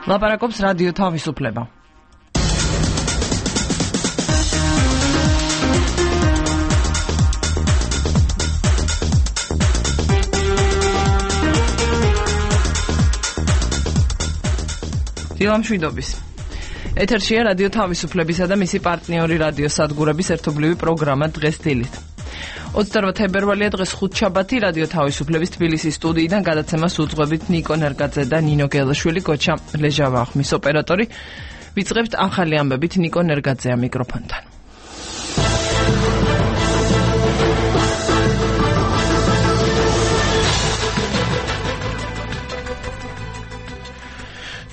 ლაპარაკობს რადიო თავისუფლება. დილამშვიდობის. ეთერშია რადიო თავისუფლებისა და მისი პარტნიორი რადიო სადგურების ერთობლივი პროგრამა დღეს დილით. 28 თებერვალია დღეს ხუთშაბათი რადიო თავისუფლების თბილისის სტუდიიდან გადაცემას უძღვებით ნიკო ნერგაძე და ნინო გელაშვილი, გოჩა ლეჟავა ხმის ოპერატორი. ვიწყებთ ახალი ამბებით ნიკო ნერგაძეა მიკროფონთან.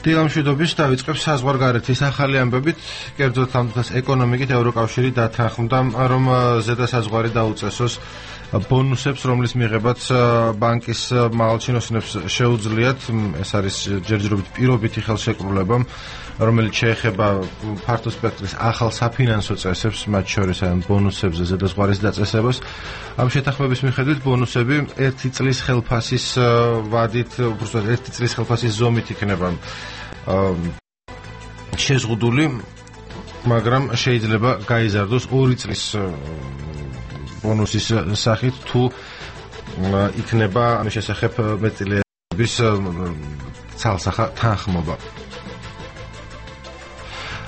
დილამშვიდობის დავიწყებ საზღვარგარეთის ახალი ამბებით. კერძოდ ამ დღეს ეკონომიკით ევროკავშირი დათანხმდა, რომ ზედასაზღვარი დაუწესოს ბონუსებს, რომლის მიღებაც ბანკის მაღალჩინოსნებს შეუძლიათ. ეს არის ჯერჯერობით პირობითი ხელშეკრულება, რომელიც შეეხება ფართო სპექტრის ახალ საფინანსო წესებს, მათ შორის ბონუსებზე ზედაზღვარის დაწესებას. ამ შეთანხმების მიხედვით ბონუსები 1 წლის ხელფასის ვადით, უბრალოდ 1 წლის ხელფასის ზომით იქნება შეზღუდული, მაგრამ შეიძლება გაიზარდოს 2 წლის ბონუსის სახით, თუ იქნება ამის შესახებ მეტწილების ცალსახა თანხმობა.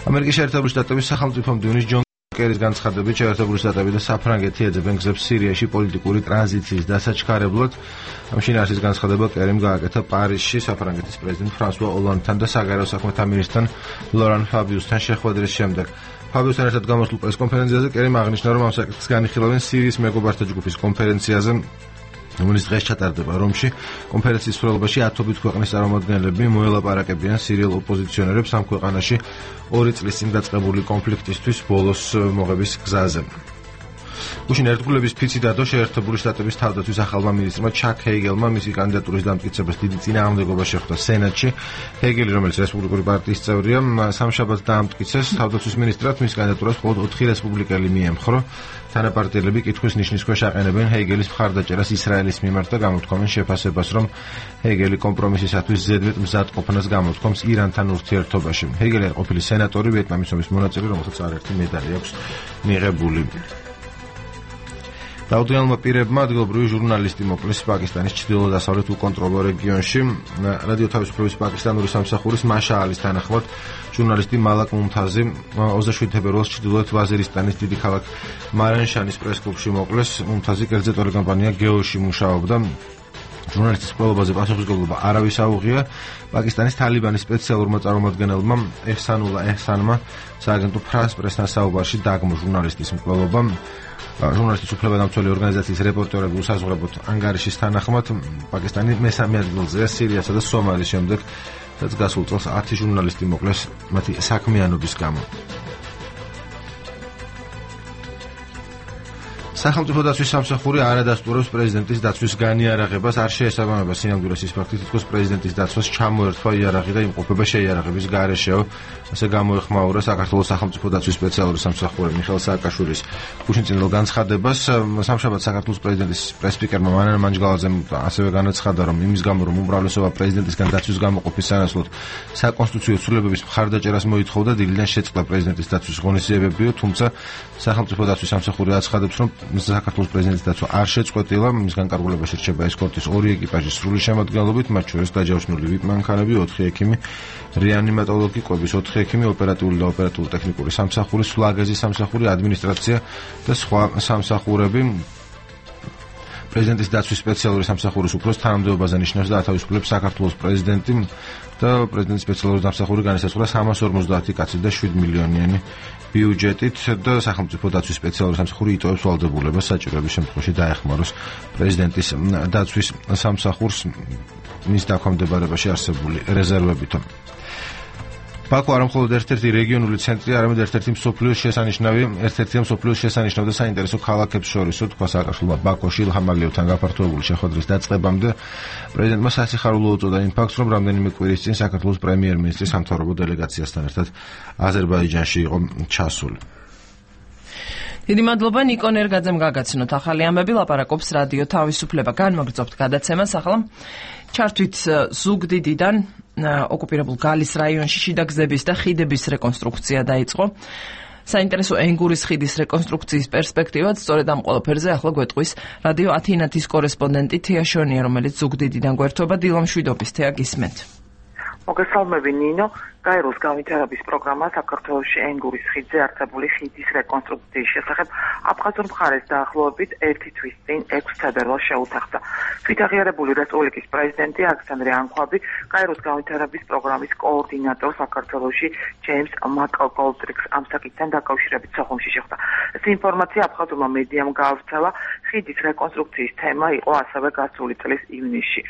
ამერიკის შეერთებული შტატების სახელმწიფო მდივნის ჯონ კერის განცხადებით, შეერთებული შტატები და საფრანგეთი ეძებენ გზებს სირიაში პოლიტიკური ტრანზიციის დასაჩქარებლად. ამ შინაარსის განცხადება კერიმ გააკეთა პარიზში საფრანგეთის პრეზიდენტ ფრანსუა ოლანდთან და საგარეო საქმეთა მინისტრთან ლორან ფაბიუსთან შეხვედრის შემდეგ. ფაბიუსთან ერთად გამოსულ პრესკონფერენციაზე კერიმ აღნიშნა, რომ ამ საკითხს განიხილავენ სირიის მეგობართა ჯგუფის კონფერენციაზე, რომელიც დღეს ჩატარდება რომში. კონფერენციის მსვლელობაში 10 ქვეყნის წარმომადგენლები მოელაპარაკებიან სირიელ ოპოზიციონერებს ამ ქვეყანაში 2 წლის წინ დაწყებული კონფლიქტისთვის ბოლოს მოღების გზაზე. გუშინ ერთგულების ფიცი დადო შეერთებული შტატების თავდაცვის ახალმა მინისტრმა ჩაკ ჰეიგელმა მისი კანდიდატურის დამტკიცებას დიდი წინააღმდეგობა შეხვდა სენატში. ჰეიგელი, რომელიც რესპუბლიკური პარტიის წევრია, სამშაბათს დაამტკიცეს თავდაცვის მინისტრად, მის კანდიდატურას მხოლოდ 4 რესპუბლიკელი მიემხრო. თანაპარტიელები კითხვის ნიშნის ქვეშ აყენებენ ჰეიგელის მხარდაჭერას ისრაელის მიმართ და გამოთქვამენ შეფასებას, რომ ჰეიგელი კომპრომისისათვის ზედმეტ მზადყოფნას გამოთქვამს ირანთან ურთიერთობაში. ჰეიგელი არის ყოფილი სენატორი, ვიეტნამის ომის მონაწილე, რომელსაც არაერთი მედალი აქვს მიღებული. დაუდიანელმა პირებმა ადგილობრივი ჟურნალისტი მოკლეს პაკისტანის ჩრდილო-დასავლეთ უკონტროლო რეგიონში. რადიო თავისუფლების პაკისტანური სამსახურის მაშაალის თანახმად, ჟურნალისტი მალაკ მუმთაზი 27 თებერვალს ჩრდილოეთ ვაზირისტანის დიდი ქალაქ მარანშანის პრესკლუბში მოკლეს. მუმთაზი კერძო ტელეკომპანია გეოში მუშაობდა. ჟურნალისტის ყველობაზე პასუხისმგებლობა არავის აუღია. პაკისტანის თალიბანის სპეციალურმა წარმომადგენელმა ეჰსანულა ეჰსანმა სააგენტო ფრანს პრესთან საუბარში დაგმო ჟურნალისტის მკვლელობა. ჟურნალისტის უფლებადამცველი ორგანიზაციის რეპორტერები უსაზღვრებოდ ანგარიშის თანახმად პაკისტანი მესამე ადგილზეა სირიასა და სომალის შემდეგ, რაც გასულ წელს 10 ჟურნალისტი მოკლეს მათი საქმიანობის გამო. სახელმწიფო დაცვის სამსახური არ ადასტურებს პრეზიდენტის დაცვის განიარაღებას, არ შეესაბამება სინამდვილეს ის ფაქტი, თითქოს პრეზიდენტის დაცვას ჩამოერთვა იარაღი და იმყოფება შეიარაღების გარეშეო. ასე გამოეხმაურა საქართველოს სახელმწიფო დაცვის სპეციალური სამსახური მიხეილ სააკაშვილის გუშინწინილ განცხადებას. სამშაბათს საქართველოს პრეზიდენტის პრესპიკერმა მანანა მანჯგალაძემ ასევე განაცხადა, რომ იმის გამო, რომ უმრავლესობა პრეზიდენტისგან დაცვის გამოყოფის სანაცვლოდ საკონსტიტუციო ცვლილებების მხარდაჭერას მოითხოვდა, დილიდან შეწყდა პრეზიდენტის დაცვის ღონისძიებებიო, თუმცა სახელმწიფო დაცვის სამსახური აცხადებს, რომ საქართველოს პრეზიდენტის დაცვა არ შეწყვეტილა, მის განკარგულებაში რჩება ესკორტის 2 ეკიპაჟის სრული შემადგენლობით, მათ შორის დაჯავშნული VIP მანქანები, 4 ექიმი, რეანიმატოლოგი, კვების 4 ექიმი, ოპერატიული და ოპერატულ-ტექნიკური სამსახური, სულაგაზის სამსახური, ადმინისტრაცია და სხვა სამსახურები. პრეზიდენტის დაცვის სპეციალური სამსახურის უფროს თანამდებობაზე ნიშნავს და ათავისუფლებს საქართველოს პრეზიდენტი და პრეზიდენტის სპეციალური სამსახური განისაზღვრა 350 კაცი და 7 მილიონიანი ბიუჯეტით და სახელმწიფო დაცვის სპეციალური სამსახური იტოვებს ვალდებულებას საჭიროების შემთხვევაში დაეხმაროს პრეზიდენტის დაცვის სამსახურს მის დაქვემდებარებაში არსებული რეზერვებით. ბაქო არ მხოლოდ ერთ-ერთი რეგიონული ცენტრი, არამედ ერთ-ერთი მსოფლიოს შესანიშნავი და საინტერესო ქალაქებს შორისო, თქვა სააკაშვილმა ბაქოში ილჰამ ალიევთან გაფართოებული შეხვედრის დაწყებამდე. პრეზიდენტმა სასიხარულო უწოდა იმ ფაქტს, რომ რამდენიმე კვირის წინ საქართველოს პრემიერ-მინისტრი სამთავრობო დელეგაციასთან ერთად აზერბაიჯანში იყო ჩასული. დიდი მადლობა ნიკო ნერგაძემ გაგაცნოთ ახალი ამბები, ლაპარაკობს რადიო თავისუფლება. განმაგრძობთ გადაცემას, ახლა ჩართვით ზუგდიდიდან ოკუპირებულ გალის რაიონში შიდა გზების და ხიდების რეკონსტრუქცია დაიწყო. საინტერესო ენგურის ხიდის რეკონსტრუქციის პერსპექტივად სწორედ ამ ყველაფერზე ახლა გვეტყვის რადიო ათინათის კორესპონდენტი თეა შონია, რომელიც ზუგდიდიდან გვერდება. დილა მშვიდობის, თეა, გისმენთ. მოგესალმები ნინო. გაეროს განვითარების პროგრამა საქართველოში ენგურის ხიდზე არსებული ხიდის რეკონსტრუქციის შესახებ აფხაზურ მხარეს დაახლოებით 1 თვის წინ 6 თებერვალს შეუთანხმდა. თვითაღიარებული რესპუბლიკის პრეზიდენტი ალექსანდრე ანქვაბი გაეროს განვითარების პროგრამის კოორდინატორ საქართველოში ჯეიმს მაკგოლდრიქს ამ საკითხთან დაკავშირებით სოხუმში შეხვდა. ეს ინფორმაცია აფხაზურმა მედიამ გაავრცელა. ხიდის რეკონსტრუქციის თემა იყო ასევე გასული წლის ივნისში.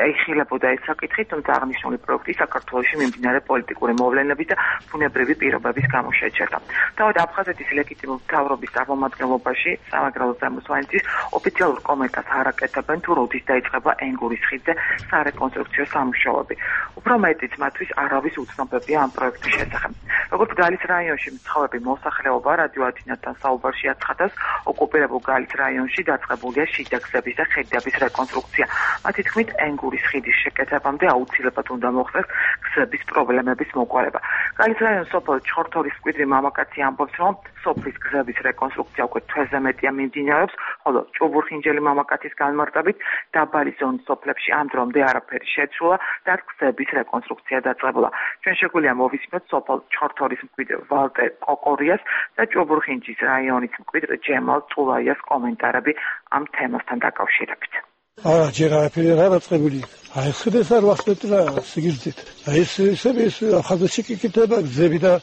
ეხილებოდა ეს საკითხი, თუმცა აღნიშნული პროექტი საქართველოში მიმდინარე პოლიტიკური მოვლენების და ბუნებრივი პირობების გამო შეჩერდა. თავად აფხაზეთის ლეგიტიმური მთავრობის წარმომადგენლობაში სამაგრალო ზემოსვანეთის ოფიციალურ კომენტარს არ აკეთებენ თუ როდის დაიწყება ენგურის ხიდზე სარეკონსტრუქციო სამუშაოები. უფრო მეტიც მათთვის არავის უცნობებია ამ პროექტის შესახებ. როგორც გალის რაიონში მცხოვრები მოსახლეობა რადიო ათინათთან საუბარში აცხადებს, ოკუპირებულ გალის რაიონში დაწყებულია შიდა გზების და ხიდების რეკონსტრუქცია. მათი თქმით, ენგურის ხიდის შეკეთებამდე აუცილებლად უნდა მოხდეს გზების პრობლემების მოყოლება. გალის რაიონის სოფელ ჩხორთოლის მკვიდრი მამაკაცი ამბობს, რომ სოფლის გზების რეკონსტრუქცია უკვე თვეზე მეტია მიმდინარეობს, ხოლო ჭუბურხინჯელი მამაკაცის განმარტებით დაბალი ზონის სოფლებში ამ დრომდე არაფერი შეცვლა და გზების რეკონსტრუქცია დაწყებულა. ჩვენ შეგვიძლია მოვისმინოთ სოფელ ჩხორთოლის მკვიდრ ვალტერ კოკორიას და ჭუბურხინჯის რაიონის მკვიდრ ჯემალ წულაიას კომენტარები ამ თემასთან დაკავშირებით. ჯერ არაფერი არ დაწყებული. აი ხიდეს არ ვახდეთ რა სიგრძით. აი ეს ახალგაზრდა კიკიტება გზები და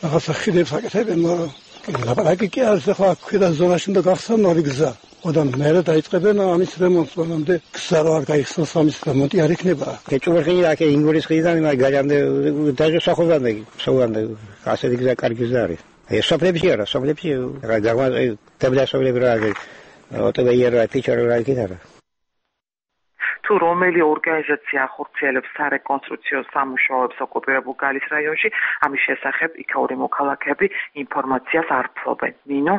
რაღაცა ხიდებს აკეთებენ, ლაპარაკი კი არის ახლა ქვედა ზონაში უნდა გახსნილი გზა. ოდან მერე დაიწყებენ ამის რემონტს, მანამდე გზა არ გაიხსნას ამის რემონტი არ იქნება. ეჭვერხინი აქ ინგურის ხიდიდან მაგალამდე დაჟე სახოვამდე, საუბამდე ასეთი გზა კარგი გზა არის. ეს სოფლებში არა, სოფლებში რა გაგვაძე დაბლასოვლები რა ოტოვეიერა ფიჩერა კიდარა. თუ რომელი ორგანიზაცია ახორციელებს სარეკონსტრუქციო სამუშაოებს ოკუპირებულ გალის რაიონში, ამის შესახებ იქაური მოქალაქეები ინფორმაციას არ ფლობენ. ნინო?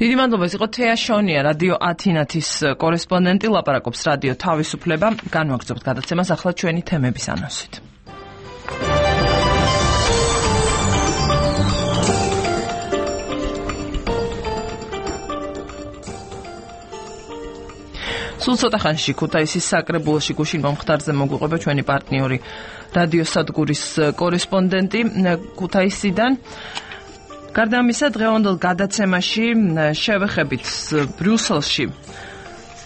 დიდი მადლობა, ეს იყო თეა შონია, რადიო ათინათის კორესპონდენტი, ლაპარაკობს რადიო თავისუფლება. განვაგრძობთ გადაცემას ახლა ჩვენი თემების ანონსით. სულ ცოტა ხანში ქუთაისის საკრებულოში გუშინ მომხდარზე მოგვიყვება ჩვენი პარტნიორი რადიო სადგურის კორესპონდენტი ქუთაისიდან. გარდა ამისა, დღევანდელ გადაცემაში შევეხებით ბრიუსელში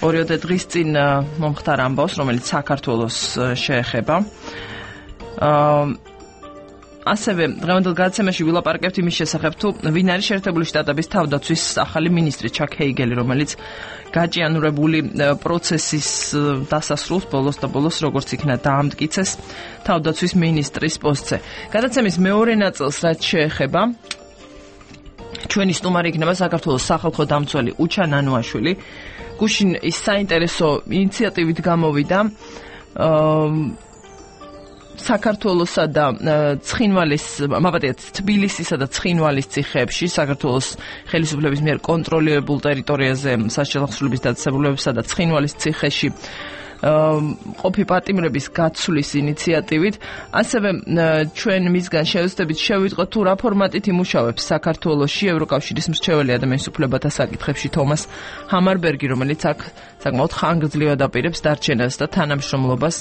ორიოდე დღის წინ მომხდარ ამბავს, რომელიც საქართველოს შეეხება. ასევე დღევანდელ გადაცემაში ვილაპარაკებთ იმის შესახებ, თუ ვინ არის შეერთებული შტატების თავდაცვის ახალი მინისტრი ჩაკ ჰეიგელი, რომელიც გაჭიანურებული პროცესის დასასრულს ბოლოს და ბოლოს როგორც იქნა დაამტკიცეს თავდაცვის მინისტრის პოსტზე. გადაცემის მეორე ნაწილს რაც შეეხება, ჩვენი სტუმარი იქნება საქართველოს სახალხო დამცველი უჩა ნანუაშვილი. გუშინ ის საინტერესო ინიციატივით გამოვიდა საქართველოსა და ცხინვალის, მაბატიათ, თბილისისა და ცხინვალის ციხეებში, საქართველოს ხელისუფლების მიერ კონტროლირებულ ტერიტორიაზე საშემოსავლების დაწესებულებებსა და ცხინვალის ციხეში ყოფი პატიმრების გაცვლის ინიციატივით. ასევე ჩვენ მისგან შევეცდებით შევიტყოთ, თუ რა ფორმატით იმუშავებს საქართველოში ევროკავშირის მრჩეველი ადამიანის უფლებათა საკითხებში თომას ჰამარბერგი, რომელიც აქ საკმაოდ ხანგრძლივად აპირებს დარჩენას და თანამშრომლობას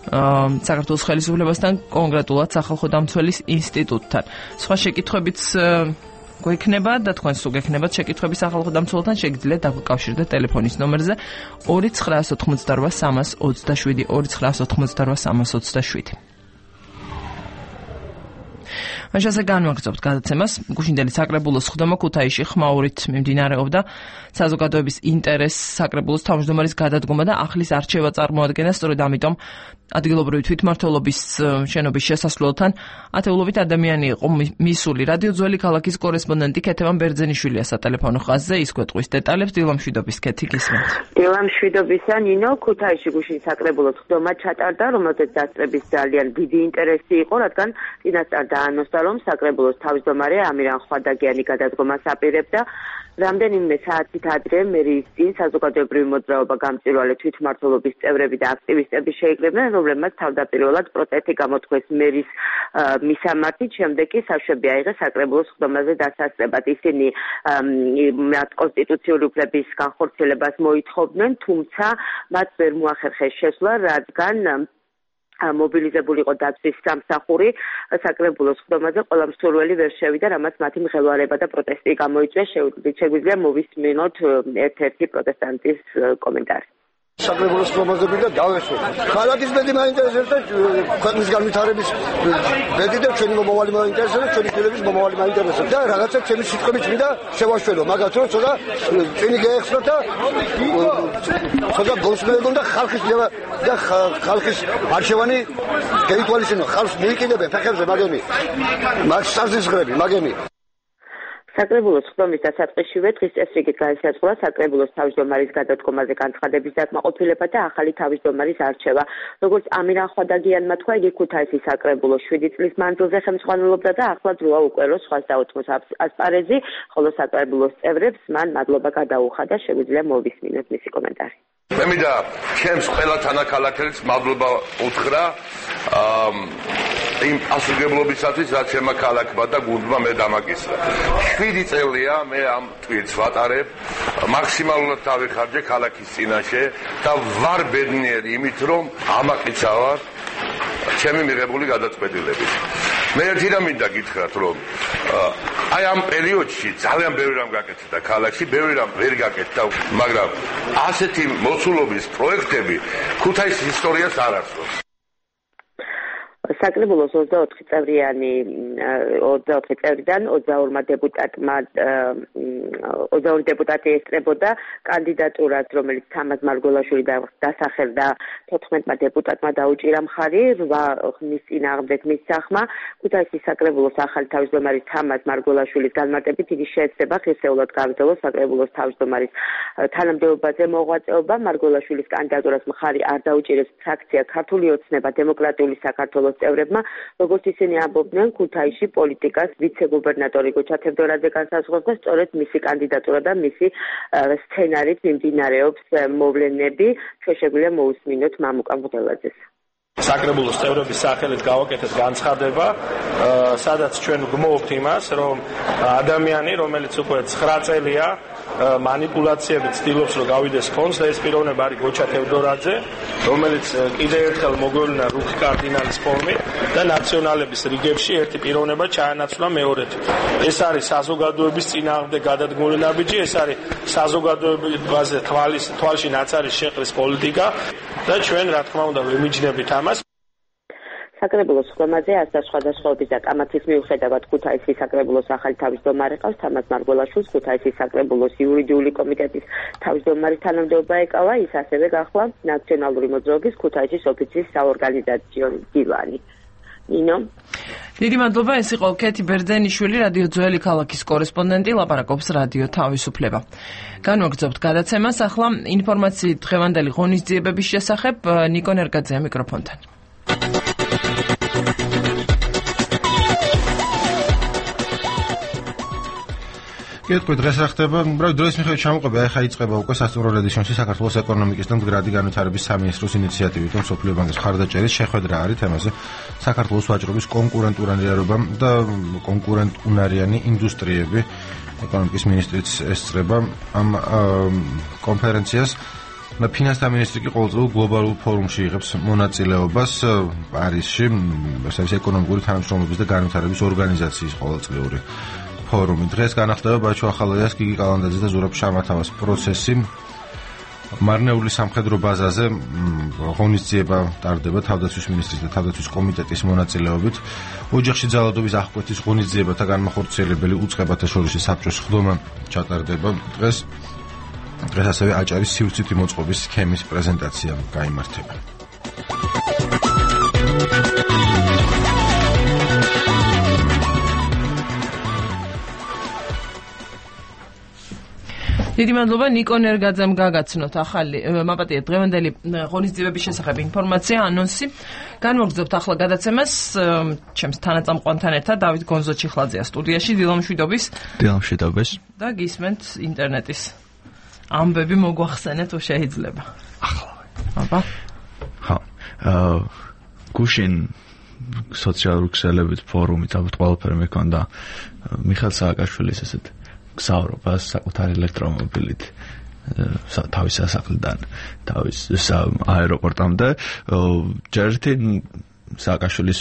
საქართველოს ხელისუფლებასთან, კონკრეტულად სახალხო დამცველის ინსტიტუტთან. სხვა შეკითხვებიც გვექნება და თქვენს თუ გექნებათ შეკითხვები სახალხო დამცველთან, შეგიძლიათ დაგვიკავშირდეთ ტელეფონის ნომერზე 2988 327 2988 327. მაშასე განვაგრძობთ გადაცემას. გუშინდელი საკრებულოს ხდომა ქუთაისში ხმაურით მიმდინარეობდა. საზოგადოების ინტერესს საკრებულოს თავმჯდომარის გადადგომა და ახლის არჩევა წარმოადგენდა. სწორედ ამიტომ ადგილობრივი თვითმმართველობის შენობის შესასვლელთან ათეულობით ადამიანი იყო მისული. რადიო ძველი ქალაქის კორესპონდენტი ქეთევან ბერძენიშვილია სატელეფონო ხაზზე, ის გვეტყვის დეტალებს. დილამშვიდობის, ქეთი, გისმენთ. დილამშვიდობისა, ნინო. ქუთაისში გუშინ საკრებულოს ხდომა ჩატარდა, რომელზეც დასწრების ძალიან დიდი ინტერესი იყო, რადგან წინასწარ დაანონსდა, რომ საკრებულოს თავმჯდომარე ამირან ხვადაგიანი გადადგომას აპირებდა. რამდენიმე საათით ადრე მერის წინ საზოგადოებრივი მოძრაობა გამწვირვალე თვითმმართველობის წევრები და აქტივისტები შეიკრიბნენ, რომლებმაც თავდაპირველად პროტესტი გამოთქვეს მერის მისამართით, შემდეგ კი საშვები აიღეს საკრებულოს ხდომაზე დასასწრებად. ისინი მათ კონსტიტუციური უფლების განხორციელებას მოითხოვდნენ, თუმცა მათ ვერ მოახერხეს შესვლა, რადგან მობილიზებული იყო დაცვის სამსახური საკრებულოს ხდომაზე ყველა მსურველი ვერ შევიდა, რამაც მათი მღელვარება და პროტესტი გამოიწვია. შეგვიძლია მოვისმინოთ ერთ-ერთი პროტესტანტის კომენტარი. საკრებულოს ხდომაზე მინდა დავესვენ. ქალაქის ბედი მაინტერესებს და ქვეყნის განვითარების ბედი და ჩვენი მომავალი მაინტერესებს, ჩვენი ფილების მომავალი მაინტერესებს და რაღაცა ჩემი სიტყვებით მინდა შევაშველო, მაგათ რომ ცოტა წინი გაეხსნათ და ცოტა გულსმენელობ და ხალხის არჩევანი გაითვალისწინო, ხალხს მიიკიდებენ ფეხებზე მაგენი. მაგ საზღვრები მაგენი. საკრებულოს ხდომის დასაწყისშივე დღის წესრიგით განისაზღვრა საკრებულოს თავმჯდომარის გადადგომაზე განცხადების დაკმაყოფილება და ახალი თავმჯდომარის არჩევა. როგორც ამირან ხვადაგიანმა თქვა, იგი ქუთაისის საკრებულოს 7 წლის მანძილზე ხელმძღვანელობდა და ახლა დროა უკვე რომ სხვას დაუთმოს ასპარეზი, ხოლო საკრებულოს წევრებს მან მადლობა გადაუხადა. შეგვიძლია მოვისმინოთ მისი კომენტარი. მე მინდა ჩემს ყველა თანაქალაქელს მადლობა უთხრა იმ პასუხისმგებლობისათვის, რაც ჩემმა ქალაქმა და გუნდმა მე დამაკისრა. 7 წელია მე ამ ტვირთს ვატარებ, მაქსიმალურად დავიხარჯე ქალაქის წინაშე და ვარ ბედნიერი იმით, რომ ამაყიცავარ ჩემი მიღებული გადაწყვეტილებით. მე ერთი რამ მინდა გითხრათ, რომ აი ამ პერიოდში ძალიან ბევრი რამ გაკეთდა ქალაქში, ბევრი რამ ვერ გაკეთდა, მაგრამ ასეთი მოცულობის პროექტები ქუთაისის ისტორიას არ არსებობს. საკრებულოს 24 წევრიდან 22 დეპუტატი ესწრებოდა კანდიდატურას, რომელიც თამაზ მარგველაშვილი დასახელდა 14 დეპუტატმა დაუჭირა მხარი 8 ხნის წინააღმდეგ მის სახმა. ქუთაისის საკრებულოს ახალი თავმჯდომარის თამაზ მარგველაშვილის განმარტებით იგი შეეცდება ღირსეულად გავიძელოს საკრებულოს თავმჯდომარის თანამდებობაზე მოღვაწეობა. მარგველაშვილის კანდიდატურას მხარი არ დაუჭირებს ფრაქცია ქართული ოცნება დემოკრატიული საქართველოს წევრებმა, როგორც ისინი ამბობდნენ, ქუთაისში პოლიტიკას ვიცე-გუბერნატორი გოჩა თევდორაძე განსაზღვრავს და სწორედ მისი კანდიდატურა და მისი სცენარით მიმდინარეობს მოვლენები. შეგვიძლია მოусმინოთ მამუკა მღვდელაძეს. საკრებულოს წევრების სახელით გავაკეთეთ განცხადება, სადაც ჩვენ გმოვთ იმას, რომ ადამიანი, რომელიც უკვე 9 წელია манипуляციებით ცდილობს რომ გავიდეს ფონდს და ეს პიროვნება არის გოჩა თევდორაძე, რომელიც კიდევ ერთხელ მოგვევლინა რუხ კარდინალის ფორმით და ნაციონალების რიგებში ერთი პიროვნება ჩაანაცვლა მეორედ. ეს არის საზოგადოების წინააღმდეგ გადადგმული ნაბიჯი, ეს არის საზოგადოებაზე თვალში ნაცარის შეყრის პოლიტიკა და ჩვენ რა თქმა უნდა ვიმიჯნებით ამას. საკრებულოს ხდომაზე ასა სხვადასხვაობის და კამათის მიუხედავად ქუთაისის საკრებულოს ახალი თავმჯდომარე ყავს თამაზ მარგველაშვილს, ქუთაისის საკრებულოს იურიდიული კომიტეტის თავმჯდომარის თანამდებობა ეკავა, ის ასევე გახლა ნაციონალური მოძრაობის ქუთაისის ოფიცის საორგანიზაციო მდივანი. ნინო. დიდი მადლობა, ეს იყო კეთი ბერძენიშვილი, რადიო ძველი ქალაქის კორესპონდენტი, ლაპარაკობს რადიო თავისუფლება. განვაგრძობთ გადაცემას, ახლა ინფორმაციით დღევანდელი ღონისძიებების შესახებ ნიკო ნერგაძეა მიკროფონთან. კეთქვი, დღეს რა ხდება? დროის მიხედვით ჩამოყება, ახლა იწყება უკვე სასტუმრო რედაქციაში საქართველოს ეკონომიკის და მდგრადი განვითარების სამინისტროს ინიციატივით, რომ სოფლიო ბანკის მხარდაჭერის შეხვედრა არის თემაზე საქართველოს ვაჭრობის კონკურენტუნარიანობა და კონკურენტუნარიანი ინდუსტრიები. ეკონომიკის მინისტრიც ესწრება ამ კონფერენციას. ფინანსთა მინისტრი კი ყოველწლიურ გლობალურ ფორუმში იღებს მონაწილეობას პარიზში, ეს არის ეკონომიკური თანამშრომლობის და განვითარების ორგანიზაციის ყოველწლიური ფორუმი. დღეს განახლდება ბაჩო ახალაიას, გიგი კალანდაძე და ზურაბ შამათავას პროცესი. მარნეული სამხედრო ბაზაზე ღონისძიება ტარდება თავდაცვის მინისტრის და თავდაცვის კომიტეტის მონაწილეობით. ოჯახში ძალადობის აღკვეთის ღონისძიებათა განმახორციელებელი უწყებათა შორისი საბჭოს ხდომა ჩატარდება. დღეს ასევე აჭარის სივრცითი მოწყობის სქემის პრეზენტაცია გაიმართება. დიდი მადლობა ნიკო ნერგაძემ გაგაცნოთ ახალი მაპატია დღევანდელი ღონისძიებების შესახებ ინფორმაცია ანონსი. განვაგრძობთ ახლა გადაცემას ჩემს თანაწამყვანთან ერთად დავით გონზო-ჩიხლაძეა სტუდიაში დილამშვიდობის და გისმენთ ინტერნეტის ამბები მოგვახსენეთ თუ შეიძლება. ახლა. ხო. გუშინ სოციალური ქსელებით ფორუმით ალბათ ყველაფერი მეკონდა მიხეილ სააკაშვილის ესეთ გზავრობას საკუთარი ელექტრომობილით თავის სასახლიდან თავის აეროპორტამდე ჯერტი სააკაშვილის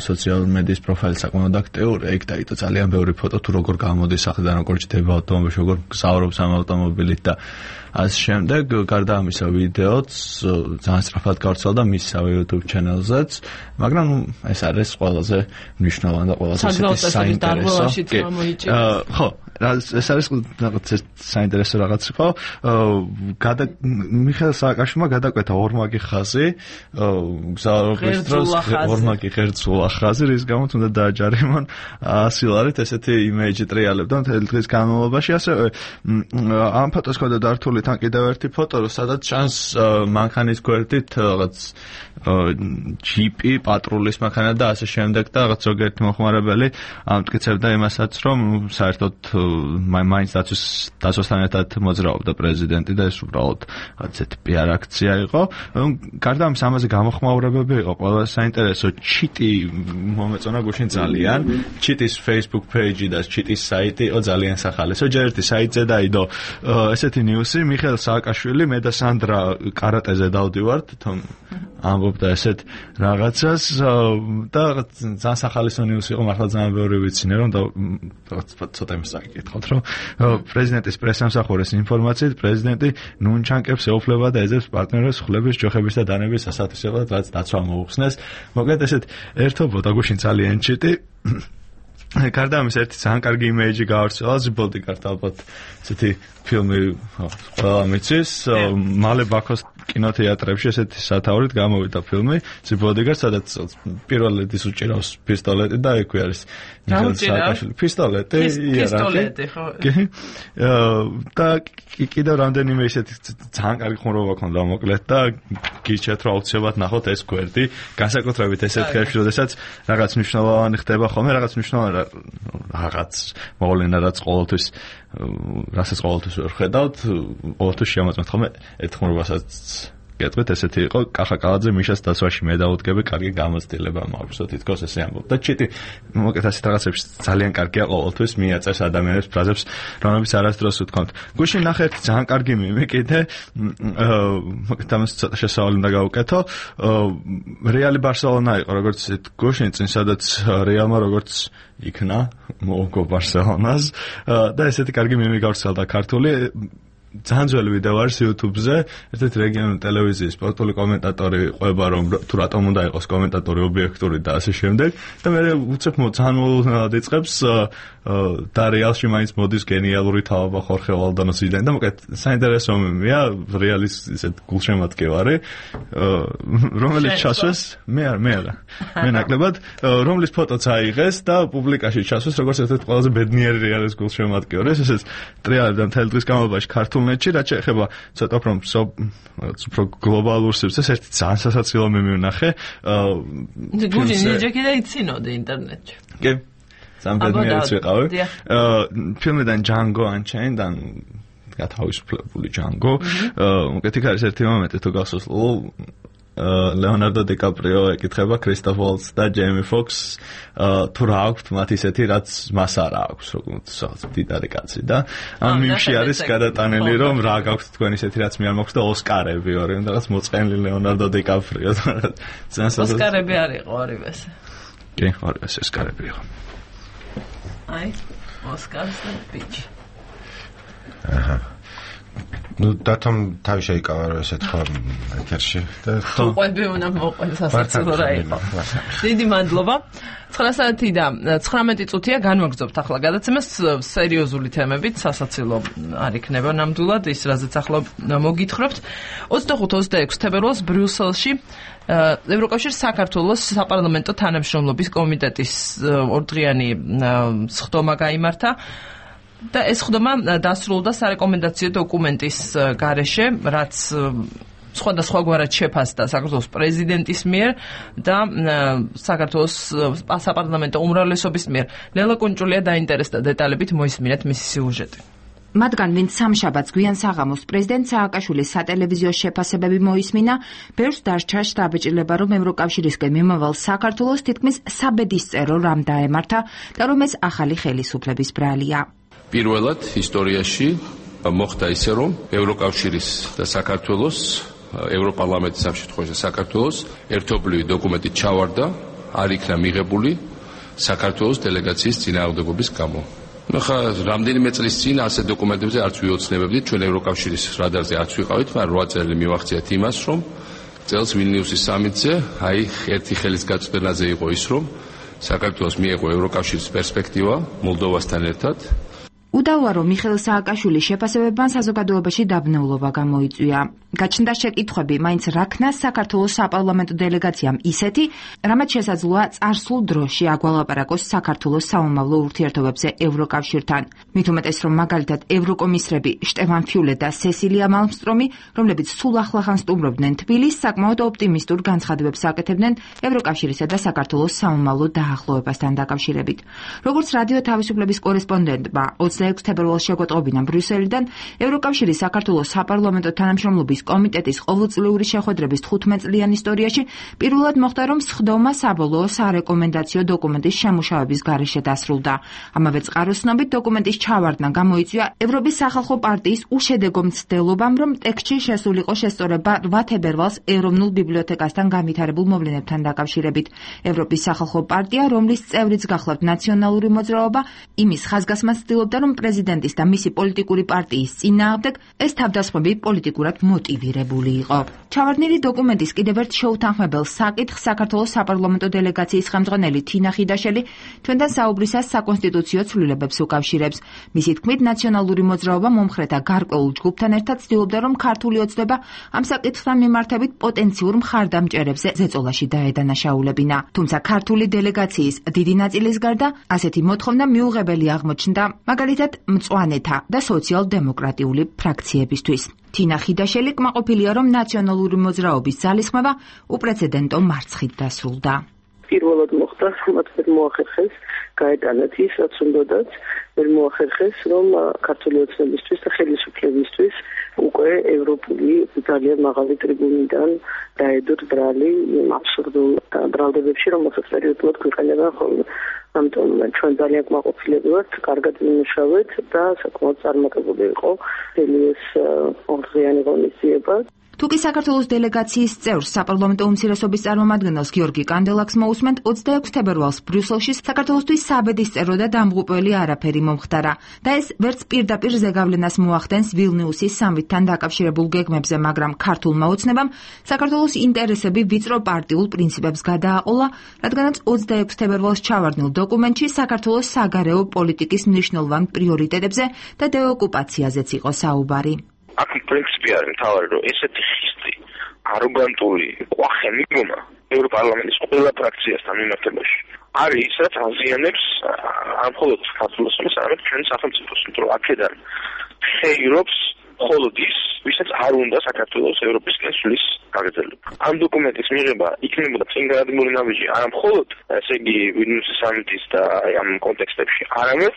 სოციალური მედიის პროფაილი საკმაოდ აქტიური იქ დაიტო ძალიან ბევრი ფოტო თუ როგორ გამოდის სახლიდან როგორ ჯდება ავტომობილში როგორ გზავრობს ამ ავტომობილით და ასე შემდეგ გარდა ამისა ვიდეოც ძალიან სწრაფად გავრცელდა მისსავე YouTube channel-ზეც მაგრამ ეს არის ყველაზე მნიშვნელოვანი და ყველაზე საინტერესო ხო ეს არის რაღაც საინტერესო რაღაც ხო მიხეილ სააკაშვილმა გადაკვეთა ორმაგი ხაზი გზავრობის დროს ორმაგი ღერძულა ხაზი რის გამოც უნდა დააჯარიმონ 100 ლარით ესეთი იმეიჯი ტრიალებდა მთელი დღის განმავლობაში ასევე ამ ფოტოს ქონდა დართული თან კიდევ ერთი ფოტო სადაც ჩანს მანქანის გვერდით რაღაც ჯიპი პატრულის მანქანა და ასე შემდეგ და რაღაც ზოგიერთი მოხმარებელი ამტკიცებდა იმასაც რომ საერთოდ მაინც დაცვასთან ერთად მოძრაობდა პრეზიდენტი და ეს უბრალოდ ასეთი პიარ აქცია იყო. გარდა ამისა ამაზე გამოხმაურებები იყო ყველა საინტერესო ჩიტი მომეწონა გუშინ ძალიან ჩიტის Facebook page და ჩიტის საიტი იყო ძალიან სახალისო ჯერ ერთი საიტზე დაიდო ესეთი ნიუსი მიხეილ სააკაშვილი მე და სანდრა კარატეზე დავდივართ თომ ამბობდა ესეთ რაღაცას და ძალიან სახალისო ნიუსი იყო მართლა ძალიან ბევრი ვიცინე რომ და ცოტა იმის საკითხავთ რომ პრეზიდენტის პრესამსახურის ინფორმაციით პრეზიდენტი ნუნჩანკებს ეუფლება და ეძებს პარტნიორებს ხლების ჯოხების და დანების სასათვისებლად რაც დაცვა მოუხსნეს მოკლედ ესეთ ერთობოდა გუშინ ძალიან ჩიტი გარდა ამის ერთი ძალიან კარგი იმეიჯი გავრცელა ზიბოლდიგართ ალბათ ესეთი ფილმი ყველა მიცის მალე ბაქოს კინოთეატრებში ესეთი სათაურით გამოვიდა ფილმი ზიბოლდიგართ სადაც პირველ ედის უჭირავს პისტოლეტი და ექვე არის მიხეილ სააკაშვილი პისტოლეტი ხო და კიდევ რამდენიმე ესეთი ძალიან კარგი ხუმრობა ქონდა მოკლედ და გირჩევთ რომ აუცილებლად ნახოთ ეს გვერდი განსაკუთრებით ესეთ ხელში როდესაც რაღაც მნიშვნელოვანი ხდება ხოლმე რაღაც მნიშვნელოვანი რაღაც მოვლენა რაც ყოველთვის რასაც ყოველთვის ვერ ხედავთ ყოველთვის შემოწმეთ ხოლმე ერთ ხუმრობასაც გეტყვით ესეთი იყო კახა კალაძე მიშას დასვაში მე დაუდგები კარგი გამოცდილება მაქვს თითქოს ესე ამბობდა ჩიტი მოკეთ ასეთ რაღაცებში ძალიან კარგია ყოველთვის მიაწევს ადამიანებს ფრაზებს რომლებიც არასდროს უთქვამთ გუშინ ნახე ერთი ძალიან კარგი მიმი კიდე მოკეთ ამას ცოტა შესავალი უნდა გავუკეთო რეალი ბარსელონა იყო როგორც გუშინ წინ სადაც რეალმა როგორც იქნა მოუგო ბარსელონას და ესეთი კარგი მიმი გავრცელდა ქართული ძალიან ძველი ვიდეო არის YouTube-ზე, ერთ-ერთი რეგიონული ტელევიზიის სპორტული კომენტატორი ყვება რომ თუ რატომ უნდა იყოს კომენტატორი ობიექტური და ასე შემდეგ და მე უცებ ძალიან იწყებს და რეალში მაინც მოდის გენიალური თავობა ხორხე ვალდანოსიდან და მოკეთ საინტერესო მიმია რეალის ისეთ გულშემატკივარი რომელიც ჩასვეს მე ნაკლებად რომლის ფოტოც აიღეს და პუბლიკაში ჩასვეს როგორც ერთ-ერთი ყველაზე ბედნიერი რეალის გულშემატკივარი ესეც ტრიალებდა მთელი დღის განმავლობაში ქართულნეთში რაც შეეხება ცოტა უფრო გლობალურ სივრცეს ერთი ძალიან სასაცილო მიმი ვნახე გუჯინ ნიჯეკი და იცინოდი ინტერნეტში კი სამბედნიერიც ვიყავი ფილმიდან Django Unchained-დან გათავისუფლებული Django უკეთ იქ არის ერთი მომენტი თუ გახსოვს ლეონარდო დიკაპრიო ეკითხება კრისტოფ ვოლტს და ჯეიმი ფოქს თუ რა აქვს მათ ისეთი რაც მას არ აქვს როგორც დიდარი კაცი და ამ მიმში არის გადატანილი რომ რა გაქვს თქვენ ისეთი რაც მე არ მაქვს და ოსკარები ორი რაღაც მოწყენილი ლეონარდო დიკაპრიო ოსკარები არ იყო ორივეს კი ორივეს ოსკარები იყო აი ოსკარს და ბიჭი ну დათომ თავი შეიკავა რომ ესეთ ხო ეთერში და ხო ყვები უნდა მოყვეს სასაცილო რა იყო დიდი მადლობა 9 საათი და 19 წუთია განვაგრძობთ ახლა გადაცემას სერიოზული თემებით სასაცილო არ იქნება ნამდვილად ის რაზეც ახლა მოგითხრობთ 25-26 თებერვალს ბრიუსელში ევროკავშირის საქართველოს საპარლამენტო თანამშრომლობის კომიტეტის ორდღიანი სხდომა გაიმართა და ეს ხდომა დასრულდა სარეკომენდაციო დოკუმენტის გარეშე, რაც სხვადასხვაგვარად შეფასდა საქართველოს პრეზიდენტის მიერ და საქართველოს საპარლამენტო უმრავლესობის მიერ. ლელა კუნჭულია დაინტერესდა დეტალებით, მოისმინეთ მისი სიუჟეტი. მათგან ვინც სამშაბათს გვიან საღამოს პრეზიდენტ სააკაშვილის სატელევიზიო შეფასებები მოისმინა, ბევრს დასჭა შთაბეჭდილება, რომ ევროკავშირისკენ მიმავალ საქართველოს თითქმის საბედისწერო რამ დაემართა და რომ ეს ახალი ხელისუფლების ბრალია. პირველად ისტორიაში მოხდა ისე, რომ ევროკავშირის და საქართველოს ევროპარლამენტის ამ შემთხვევაში საქართველოს ერთობლივი დოკუმენტი ჩავარდა, არ იქნა მიღებული საქართველოს დელეგაციის წინააღმდეგობის გამო. ხა რამდენიმე წლის წინ ასეთ დოკუმენტებზე არც ვიოცნებებდით, ჩვენ ევროკავშირის რადარზე არც ვიყავით, მაგრამ 8 წელი მივახციეთ იმას, რომ წელს ვილნიუსის სამიტზე ერთი ხელის გაწვდენაზე იყო ის, რომ საქართველოს მიეღო ევროკავშირის პერსპექტივა მოლდოვასთან ერთად. უდავოა, რომ მიხეილ სააკაშვილის შეფასებებმა საზოგადოებაში დაბნეულობა გამოიწვია. გაჩნდა შეკითხვები, მაინც რა ქნას საქართველოს საპარლამენტო დელეგაციამ ისეთი, რამაც შესაძლოა წარსულ დროში აგვალაპარაკოს საქართველოს სამომავლო ურთიერთობებზე ევროკავშირთან. მით უმეტეს, რომ მაგალითად ევროკომისრები შტეფან ფიულე და სესილია მალმსტრომი, რომლებიც სულ ახლახან სტუმრობდნენ თბილისს, საკმაოდ ოპტიმისტურ განცხადებებს აკეთებდნენ ევროკავშირისა და საქართველოს სამომავლო დაახლოებასთან დაკავშირებით. როგორც რადიო თავისუფლების კორესპონდენტმა 26 თებერვალს შეგვეტყობინა ბრიუსელიდან, ევროკავშირის საქართველოს საპარლამენტო თანამშრომლობის კომიტეტის ყოველწლიური შეხვედრების 15 წლიან ისტორიაში პირველად მოხდა, რომ სხდომა საბოლოო სარეკომენდაციო დოკუმენტის შემუშავების გარეშე დასრულდა. ამავე წყაროს ცნობით დოკუმენტის ჩავარდნა გამოიწვია ევროპის სახალხო პარტიის უშედეგო მცდელობამ, რომ ტექსტში შესულიყო შესწორება 8 თებერვალს ეროვნულ ბიბლიოთეკასთან განვითარებულ მოვლენებთან დაკავშირებით. ევროპის სახალხო პარტია, რომლის წევრიც გახლავთ ნაციონალური მოძრაობა, იმის ხაზგასმას ცდილობდა, რომ პრეზიდენტის და მისი პოლიტიკური პარტიის წინააღმდეგ ეს თავდასხმები პოლიტიკურად მოტივირებული იყო. ჩავარდნილი დოკუმენტის კიდევ ერთ შეუთანხმებელ საკითხს საქართველოს საპარლამენტო დელეგაციის ხელმძღვანელი თინა ხიდაშელი ჩვენთან საუბრისას საკონსტიტუციო ცვლილებებს უკავშირებს. მისი თქმით, ნაციონალური მოძრაობა მომხრეთა გარკვეულ ჯგუფთან ერთად ცდილობდა, რომ ქართული ოცნება ამ საკითხთან მიმართებით პოტენციურ მხარდამჭერებზე ზეწოლაში დაედანაშაულებინა. თუმცა ქართული დელეგაციის დიდი ნაწილის გარდა ასეთი მოთხოვნა მიუღებელი აღმოჩნდა, მაგალითად მწვანეთა და სოციალ-დემოკრატიული ფრაქციებისთვის. თინა ხიდაშელი კმაყოფილია, რომ ნაციონალური მოძრაობის ძალისხმევა უპრეცედენტო მარცხით დასრულდა. პირველად მოხდა, მათ ვერ მოახერხეს გაეტანათ ის, რაც უნდათ, ვერ მოახერხეს, რომ ქართული ოცნებისთვის და ხელისუფლებისთვის უკვე ევროპული ძალიან მაღალი ტრიბუნიდან დაედოთ ბრალი აბსურდულ ბრალდებებში, რომელსაც პერიოდულად გვიყენებენ ხოლმე. ამიტომ ჩვენ ძალიან კმაყოფილები ვართ, კარგად ვიმუშავეთ და საკმაოდ წარმატებული იყო ეს ორდღიანი ღონისძიება. თუკი საქართველოს დელეგაციის წევრს საპარლამენტო უმცირესობის წარმომადგენელს გიორგი კანდელაკს მოусმენთ, 26 თებერვალს ბრიუსელში საქართველოსთვის საბედისწერო და დამღუპველი არაფერი მომხდარა და ეს ვერც პირდაპირ ზეგავლენას მოახდენს ვილნიუსის სამიტთან დაკავშირებულ გეგმებზე, მაგრამ ქართულმა ოცნებამ საქართველოს ინტერესები ვიწრო პარტიულ პრინციპებს გადააყოლა, რადგანაც 26 თებერვალს ჩავარდნილ დოკუმენტში საქართველოს საგარეო პოლიტიკის მნიშვნელოვან პრიორიტეტებზე და დეოკუპაციაზეც იყო საუბარი. აქ პრინციპი არის მთავარი, რომ ესეთი ხისტი, აროგანტული, ყვახე მიგონა ევროპარლამენტის ყველა ფრაქციასთან მიმართებაში არის ის, რაც აზიანებს არ მხოლოდ საქართველოს, არამედ ჩვენ სახელმწიფოს, იმიტომ რომ აქედან ხეირობს მხოლოდ ის, ვისაც არ უნდა საქართველოს ევროპისკენ სulis გაგრძელება. ამ დოკუმენტის მიღება იქნებოდა წინგადებული ნაბიჯი არა მხოლოდ, ესე იგი, ვილნიუსის სამიტის და ამ კონტექსტებში, არამედ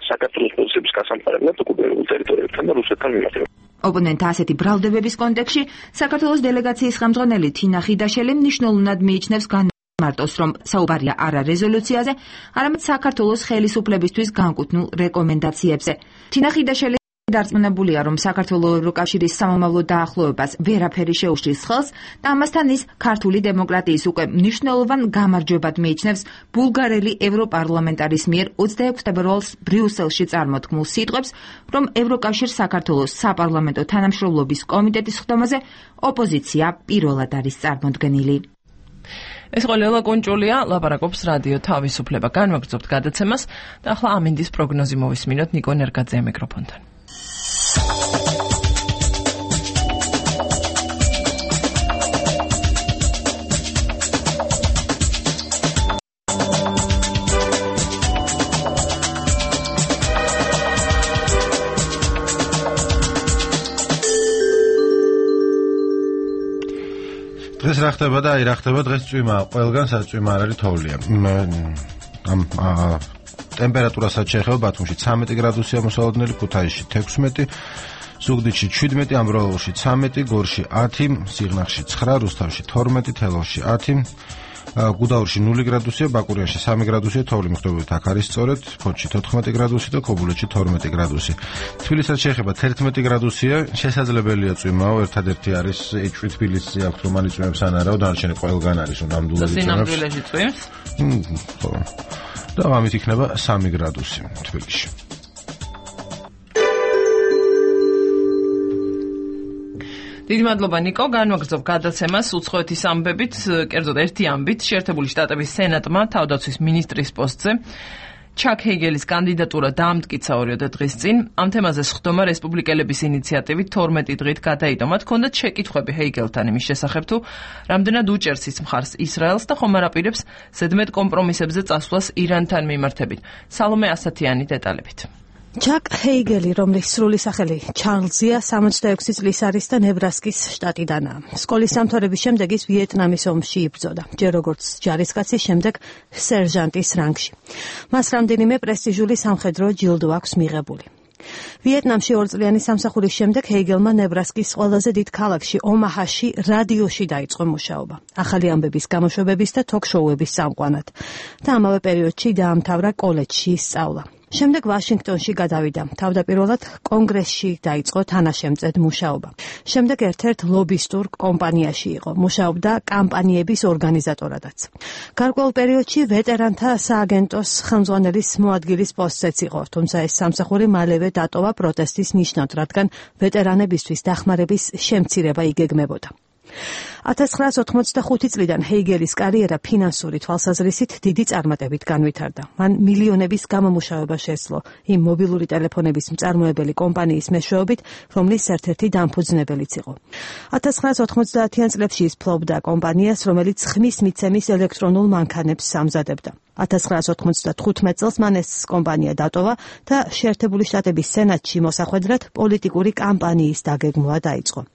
საქართველოს პოზიციების გასამყარებლად ოკუპირებულ ტერიტორიებთან და რუსეთთან მიმართება. ოპონენტთა ასეთი ბრალდებების კონტექსტში საქართველოს დელეგაციის ხელმძღვანელი თინა ხიდაშელი მნიშვნელოვნად მიიჩნევს განმარტოს, რომ საუბარია არა რეზოლუციაზე, არამედ საქართველოს ხელისუფლებისთვის განკუთვნილ რეკომენდაციებზე. თინა ხიდაშელი დარწმუნებულია, რომ საქართველოს ევროკავშირის სამომავლო დაახლოებას ვერაფერი შეუშლის ხელს და ამასთან ის ქართული დემოკრატიის უკვე მნიშვნელოვან გამარჯვებად მიიჩნევს ბულგარელი ევროპარლამენტარის მიერ 26 თებერვალს ბრიუსელში წარმოთქმულ სიტყვებს, რომ ევროკავშირ საქართველოს საპარლამენტო თანამშრომლობის კომიტეტის ხდომაზე ოპოზიცია პირველად არის წარმოდგენილი. ეს იყო ლელა კუნჭულია, ლაპარაკობს რადიო თავისუფლება. განვაგრძობთ გადაცემას და ახლა ამინდის პროგნოზი მოვისმინოთ ნიკო ნერგაძე მიკროფონთან. დღეს რა ხდება და რა ხდება დღეს წვიმა ყველგან საწვიმა არ არის თოვლია ამ ტემპერატურასაც შეეხება ბათუმში 13 გრადუსია მოსალოდნელი, ქუთაისში 16, ზუგდიდში 17, ამბროლაურში 13, გორში 10, სიღნაღში 9, რუსთავში 12, თელავში 10, გუდაურში 0 გრადუსია, ბაკურიანში 3 გრადუსია, თოვლი მიხვდებით აქ არის სწორედ, ფოთში 14 გრადუსი და ქობულეთში 12 გრადუსი. თბილისსაც შეეხება 11 გრადუსია, შესაძლებელია წვიმაო, ერთადერთი არის ეჭვი თბილისი აქვს, რომ იწვიმებს ან არაო, დანარჩენი ყველგან არის, რომ ნამდვილად იწვიმებს. სინამდვილეში წვიმს? ხო. და ამით იქნება 3 გრადუსი თბილისში. დიდი მადლობა ნიკო, განვაგრძობ გადაცემას უცხოეთის ამბებით, კერძოდ ერთი ამბით, შეერთებული შტატების სენატმა თავდაცვის მინისტრის პოსტზე ჩაკ ჰეიგელის კანდიდატურა დაამტკიცა 2 დღის წინ. ამ თემაზე სხდომა რესპუბლიკელების ინიციატივით 12 დღით გადაიდო. მათ ჰქონდათ შეკითხვები ჰეიგელთან იმის შესახებ, თუ რამდენად უჭერს ის მხარს ისრაელს და ხომ არ აპირებს ზედმეტ კომპრომისებზე წასვლას ირანთან მიმართებით. სალომე ასათიანი დეტალებით. ჩაკ ჰეიგელი, რომლის სრული სახელი ჩარლზია, 66 წლის არის და ნებრასკის შტატიდანაა. სკოლის დამთავრების შემდეგ ის ვიეტნამის ომში იბრძოდა, ჯერ როგორც ჯარისკაცის, შემდეგ სერჟანტის რანგში. მას რამდენიმე პრესტიჟული სამხედრო ჯილდო აქვს მიღებული. ვიეტნამში 2 წლიანი სამსახურის შემდეგ ჰეიგელმა ნებრასკის ყველაზე დიდ ქალაქში ომაჰაში რადიოში დაიწყო მუშაობა, ახალი ამბების გამოშვებების და თოქ-შოუების წამყვანად და ამავე პერიოდში დაამთავრა კოლეჯში სწავლა. შემდეგ ვაშინგტონში გადავიდა. თავდაპირველად კონგრესში დაიწყო თანაშემწედ მუშაობა. შემდეგ ერთ-ერთ ლობისტურ კომპანიაში იყო. მუშაობდა კამპანიების ორგანიზატორადაც. გარკვეულ პერიოდში ვეტერანთა სააგენტოს ხელმძღვანელის მოადგილის პოსტზეც იყო, თუმცა ეს სამსახური მალევე დატოვა პროტესტის ნიშნად, რადგან ვეტერანებისთვის დახმარების შემცირება იგეგმებოდა. 1985 წლიდან ჰეიგელის კარიერა ფინანსური თვალსაზრისით დიდი წარმატებით განვითარდა. მან მილიონების გამომუშავება შესძლო იმ მობილური ტელეფონების მწარმოებელი კომპანიის მეშვეობით, რომლის ერთ-ერთი დამფუძნებელიც იყო. 1990-იან წლებში ის ფლობდა კომპანიას, რომელიც ხმის მიცემის ელექტრონულ მანქანებს ამზადებდა. 1995 წელს მან ეს კომპანია დატოვა და შეერთებული შტატების სენატში მოსახვედრად პოლიტიკური კამპანიის დაგეგმვა დაიწყო.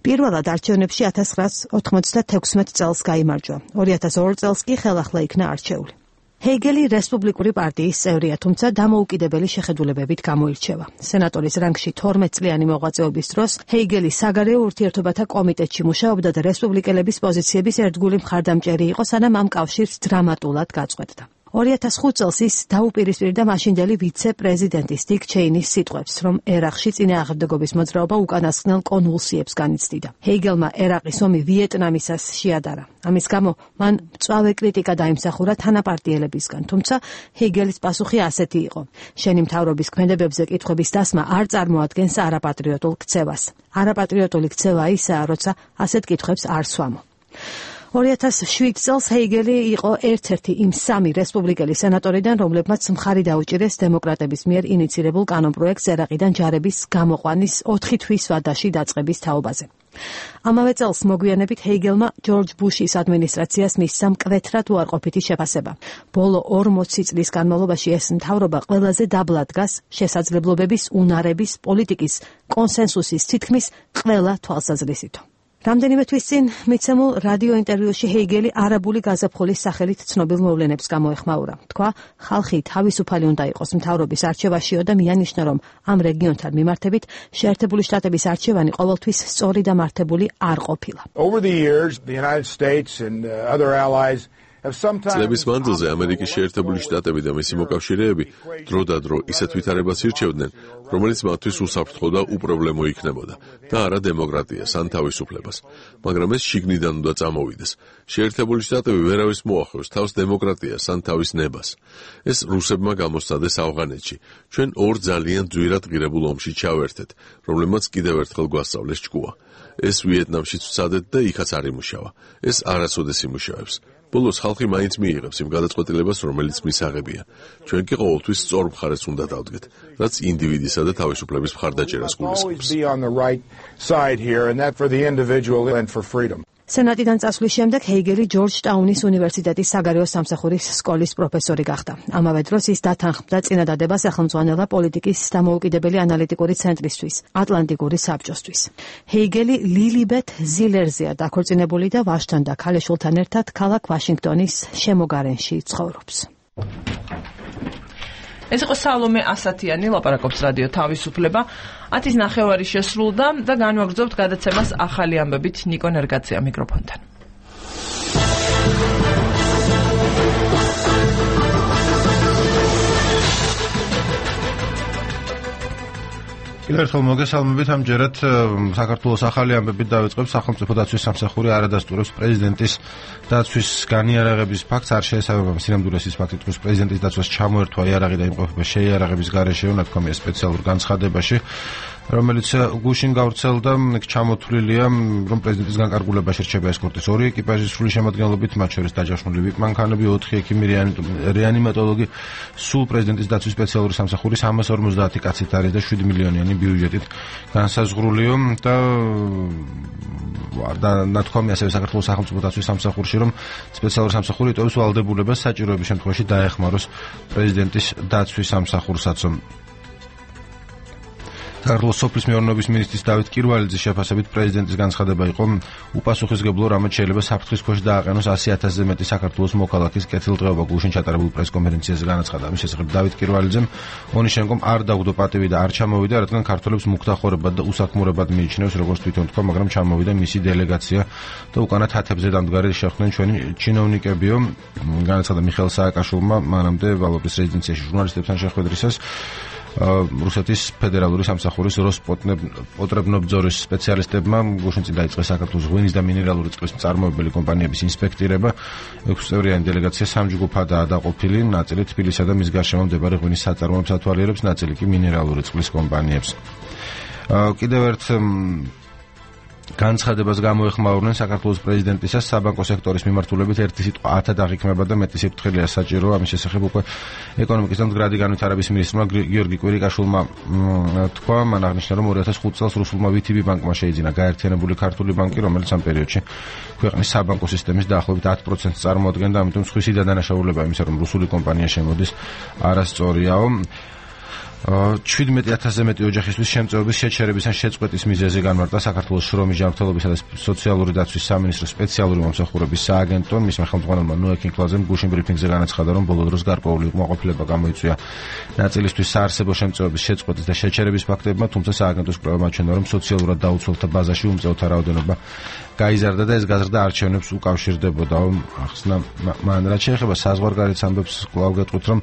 პირველად არჩევნებში 1996 წელს გაიმარჯვა. 2002 წელს კი ხელახლა იქნა არჩეული. ჰეიგელი რესპუბლიკური პარტიის წევრია, თუმცა დამოუკიდებელი შეხედულებებით გამოირჩევა. სენატორის რანგში 12 წლიანი მოღვაწეობის დროს ჰეიგელი საგარეო ურთიერთობათა კომიტეტში მუშაობდა და რესპუბლიკელების პოზიციების ერთგული მხარდამჭერი იყო, სანამ ამ კავშირს დრამატულად გაწყვეტდა. 2005 წელს ის დაუპირისპირდა მაშინდელი ვიცე-პრეზიდენტის დიკ ჩეინის სიტყვებს, რომ ერაყში წინააღმდეგობის მოძრაობა უკანასკნელ კონვულსიებს განიცდიდა. ჰეიგელმა ერაყის ომი ვიეტნამისას შეადარა. ამის გამო მან მწვავე კრიტიკა დაიმსახურა თანაპარტიელებისგან, თუმცა ჰეიგელის პასუხი ასეთი იყო: შენი მთავრობის ქმედებებზე კითხვების დასმა არ წარმოადგენს არაპატრიოტულ ქცევას. არაპატრიოტული ქცევა ისაა, როცა ასეთ კითხვებს არ სვამო. 2007 წელს ჰეიგელი იყო ერთ-ერთი იმ 3 რესპუბლიკელი სენატორიდან, რომლებმაც მხარი დაუჭირეს დემოკრატების მიერ ინიცირებულ კანონპროექტს ერაყიდან ჯარების გამოყვანის 4 თვის ვადაში დაწყების თაობაზე. ამავე წელს მოგვიანებით ჰეიგელმა ჯორჯ ბუშის ადმინისტრაციას მისცა მკვეთრად უარყოფითი შეფასება. ბოლო 40 წლის განმავლობაში ეს მთავრობა ყველაზე დაბლა დგას შესაძლებლობების, უნარების, პოლიტიკის, კონსენსუსის თითქმის ყველა თვალსაზრისით. რამდენიმე თვის წინ მიცემულ რადიო ინტერვიუში ჰეიგელი არაბული გაზაფხულის სახელით ცნობილ მოვლენებს გამოეხმაურა. თქვა, ხალხი თავისუფალი უნდა იყოს მთავრობის არჩევაშიო და მიანიშნა, რომ ამ რეგიონთან მიმართებით შეერთებული შტატების არჩევანი ყოველთვის სწორი და მართებული არ ყოფილა. Over the years, the United States and other allies წლების მანძილზე ამერიკის შეერთებული შტატები და მისი მოკავშირეები დროდადრო ისეთ ვითარებას ირჩევდნენ, რომელიც მათთვის უსაფრთხო და უპრობლემო იქნებოდა და არა დემოკრატიას ან თავისუფლებას, მაგრამ ეს შიგნიდან უნდა წამოვიდეს. შეერთებული შტატები ვერავის მოახლოს თავს დემოკრატიას ან თავის ნებას. ეს რუსებმა გამოსცადეს ავღანეთში. ჩვენ ორ ძალიან ძვირად ღირებულ ომში ჩავერთეთ, რომლებმაც კიდევ ერთხელ გვასწავლეს ჭკუა. ეს ვიეტნამშიც ვცადეთ და იქაც არ იმუშავა. ეს არასოდეს იმუშავებს. ბოლოს ხალხი მაინც მიიღებს იმ გადაწყვეტილებას, რომელიც მისაღებია. ჩვენ კი ყოველთვის სწორ მხარეს უნდა დავდგეთ, რაც ინდივიდისა და თავისუფლების მხარდაჭერას გულისხმობს. სენატიდან წასვლის შემდეგ ჰეიგელი ჯორჯტაუნის უნივერსიტეტის საგარეო სამსახურის სკოლის პროფესორი გახდა. ამავე დროს ის დათანხმდა წინადადება სახელმძღვანელა პოლიტიკის დამოუკიდებელი ანალიტიკური ცენტრისთვის, ატლანტიკური საბჭოსთვის. ჰეიგელი ლილიბეთ ზილერზეა დაქორწინებული და ვაჟთან და ქალიშვილთან ერთად ქალაქ ვაშინგტონის შემოგარენში ცხოვრობს. ეს იყო სალომე ასათიანი, ლაპარაკობს რადიო თავისუფლება. 10:09 შესრულდა და განვაგრძობთ გადაცემას ახალი ამბებით. ნიკო ნერგაძეა მიკროფონთან. კიდევ ერთხელ მოგესალმებით. ამჯერად საქართველოს ახალი ამბებით დავიწყებთ. სახელმწიფო დაცვის სამსახური არადასტურებს პრეზიდენტის დაცვის განიარაღების ფაქტს. არ შეესაბამება სინამდვილეს ის ფაქტი, რომ პრეზიდენტის დაცვას ჩამოერთვა იარაღი და იმყოფება შეიარაღების გარეშე, ნათქვამია სპეციალურ განცხადებაში, რომელიც გუშინ გავრცელდა. ჩამოთვლილია, რომ პრეზიდენტის განკარგულებაში რჩება ესკორტის 2 ეკიპაჟის სრული შემადგენლობით, მათ შორის დაჯავშნული ვიპ მანქანები, 4 ექიმი რეანიმატოლოგი, სულ პრეზიდენტის დაცვის სპეციალური სამსახური 350 კაცით არის და 7 მილიონიანი ბიუჯეტით განსაზღვრულია და ნათქვამია ასევე საქართველოს სახელმწიფო დაცვის სამსახურში, რომ სპეციალური სამსახური იტოვებს ვალდებულებას საჭიროების შემთხვევაში დაეხმაროს პრეზიდენტის დაცვის სამსახურსაც. საქართველოს სოფლის მეურნეობის მინისტრის დავით კირვალიძის შეფასებით პრეზიდენტის განცხადება იყო უპასუხისმგებლო, რამაც შეიძლება საფრთხის ქვეშ დააყენოს 100,000-ზე მეტი საქართველოს მოქალაქის კეთილდღეობა. გუშინ ჩატარებულ პრესკონფერენციაზე განაცხადა ამის შესახებ დავით კირვალიძემ, ონიშენკომ არ დაგვდო პატივი და არ ჩამოვიდა, რადგან ქართველებს მუქთახორებად და უსაქმურებად მიიჩნევს, როგორც თვითონ თქვა, მაგრამ ჩამოვიდა მისი დელეგაცია და უკანა თათებზე დამდგარი შეხვდნენ ჩვენი ჩინოვნიკებიო. განაცხადა მიხეილ სააკაშვილმა მანამდე ვალობის რეზიდენციაში ჟურნალისტებთან შეხვედრისას რუსეთის ფედერალური სამსახურის როსპოტრებნობძორის სპეციალისტებმა გუშინ წინ დაიწყეს საქართველოს ღვინის და მინერალური წყლის მწარმოებელი კომპანიების ინსპექტირება. 6 წევრიანი დელეგაცია 3 ჯგუფადაა დაყოფილი, ნაწილი თბილისსა და მის გარშემო მდებარე ღვინის საწარმოებს ათვალიერებს, ნაწილი კი მინერალური წყლის კომპანიებს. კიდევ ერთ განცხადებას გამოეხმაურნენ საქართველოს პრეზიდენტისას საბანკო სექტორის მიმართულებით ერთი სიტყვა 10-ად აღიქმება და მეტი სიფრთხილეა საჭირო. ამის შესახებ უკვე ეკონომიკის და მდგრადი განვითარების მინისტრმა გიორგი კვირიკაშვილმა თქვა, მან აღნიშნა, რომ 2005 წელს რუსულმა VTB ბანკმა შეიძინა გაერთიანებული ქართული ბანკი, რომელიც ამ პერიოდში ქვეყნის საბანკო სისტემის დაახლოებით 10%-ს წარმოადგენდა, ამიტომ სხვისი დადანაშაულება იმისა, რომ რუსული კომპანია შემოდის, არასწორიაო. 17,000-ზე მეტი ოჯახისთვის შემწეობის შეჩერების ან შეწყვეტის მიზეზი განმარტა საქართველოს შრომის ჯანმრთელობისა და სოციალური დაცვის სამინისტროს სპეციალური მომსახურების სააგენტო. მისმა ხელმძღვანელმა ნოე კინკლაძემ გუშინ ბრიფინგზე განაცხადა, რომ ბოლო დროს გარკვეული უკმაყოფილება გამოიწვია ნაწილისთვის საარსებო შემწეობის შეწყვეტის და შეჩერების ფაქტებმა, თუმცა სააგენტოს კვლევა მაჩვენა, რომ სოციალურად დაუცველთა ბაზაში უმწეოთა რაოდენობა გაიზარდა და ეს გაზრდა არჩევნებს უკავშირდებოდა. ახსნა მან რაც შეეხება საზღვარგარეთ ამბებს კვლავ გეტყვით, რომ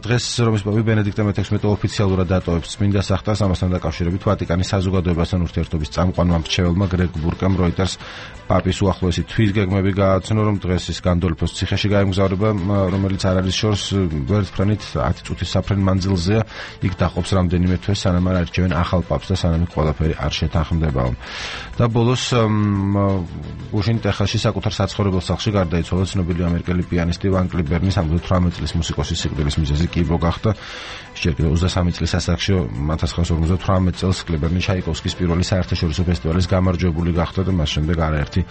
დღეს რომის პაპი ბენედიქტე მე-16 ოფიციალურად დატოვებს წმინდა სახტას. ამასთან დაკავშირებით ვატიკანის საზოგადოებასთან ურთიერთობის წამყვანმა მრჩეველმა გრეგ ბურკამ როიტერს პაპის უახლოესი თვითგეგმები გააცნო, რომ დღეს ის განდოლფოს ციხეში გაემგზავრება, რომელიც არ არის შორს ვერტფრენით 10 წუთის საფრენ მანძილზეა. იქ დაყოფს რამდენიმე თვე, სანამ არ არჩევენ ახალ პაპს და სანამ ყველაფერი არ შეთანხმდებაო. და ბოლოს გუშინ ტეხასში საკუთარ საცხოვრებელ სახლში გარდაიცვალა ცნობილი ამერიკელი პიანისტი ვან კლიბერნი. 78 წლის მუსიკოსის სიკვდილის მიზეზი კიბო გახდა. შეიძლება 23 წლის ასაკში 1958 წელს კლიბერნი ჩაიკოვსკის პირველი საერთაშორისო ფესტივალის გამარჯვებული გახდა და მას შემდეგ არაერთი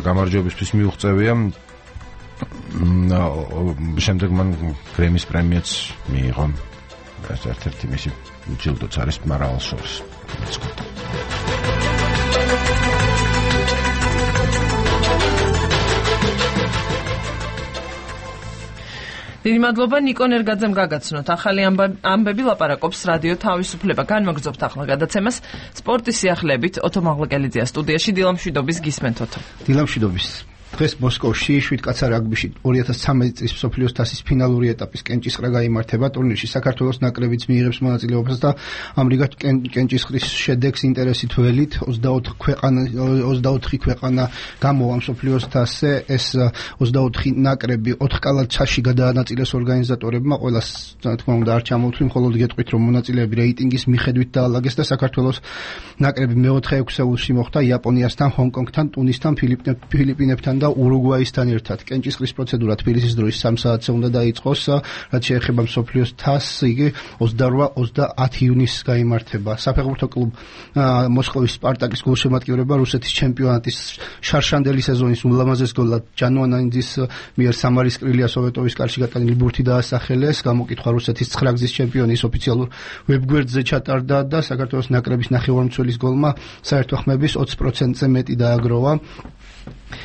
გამარჯვებისთვის მიუღწევია. შემდეგ მან გრემის პრემიაც მიიღო. ეს ერთ-ერთი მისი ჯილდოც არის მრავალ შორის. დიდი მადლობა ნიკო ნერგაძემ გაგაცნოთ. ახალი ამბები ლაპარაკობს რადიო თავისუფლება. განვაგრძობთ ახლა გადაცემას სპორტის სიახლეებით. ოტო მაღლაკელიძეა სტუდიაში. დილამშვიდობის გისმენთ ოტო. დილამშვიდობის. დღეს მოსკოვში 7 კაცა რაგბიში 2013 წლის მსოფლიოს თასის ფინალური ეტაპის კენჭისყრა გაიმართება. ტურნირში საქართველოს ნაკრებიც მიიღებს მონაწილეობას და ამრიგად კენჭისყრის შედეგს ინტერესით ველით 24 ქვეყანა გამოვა მსოფლიოს თასზე. ეს 24 ნაკრები 4 კალათაში გადაანაწილეს ორგანიზატორებმა. ყველას თქმა უნდა არ ჩამოვთვლი, მხოლოდ გეტყვით, რომ მონაწილეები რეიტინგის მიხედვით დაალაგეს და საქართველოს ნაკრები მე-4 ექვსეულში მოხვდა იაპონიასთან, ჰონკონგთან, ტუნისთან, ფილიპინებთან და ურუგვაისთან ერთად. კენჭისყრის პროცედურა თბილისის დროის 3 საათზე უნდა დაიწყოს, რაც შეეხება მსოფლიოს თასს, იგი 28-30 ივნისს გაიმართება. საფეხბურთო კლუბ მოსკოვის სპარტაკის გულშემატკივრება რუსეთის ჩემპიონატის შარშანდელი სეზონის ულამაზეს გოლად ჯანუანაინძის მიერ სამარის კრილია სოვეტოვის კარში გატანილი ბურთი დაასახელეს. გამოკითხვა რუსეთის 9 გზის ჩემპიონის ოფიციალურ ვებგვერდზე ჩატარდა და საქართველოს ნაკრების ნახევარმცველის გოლმა საერთო ხმების 20%-ზე მეტი დააგროვა.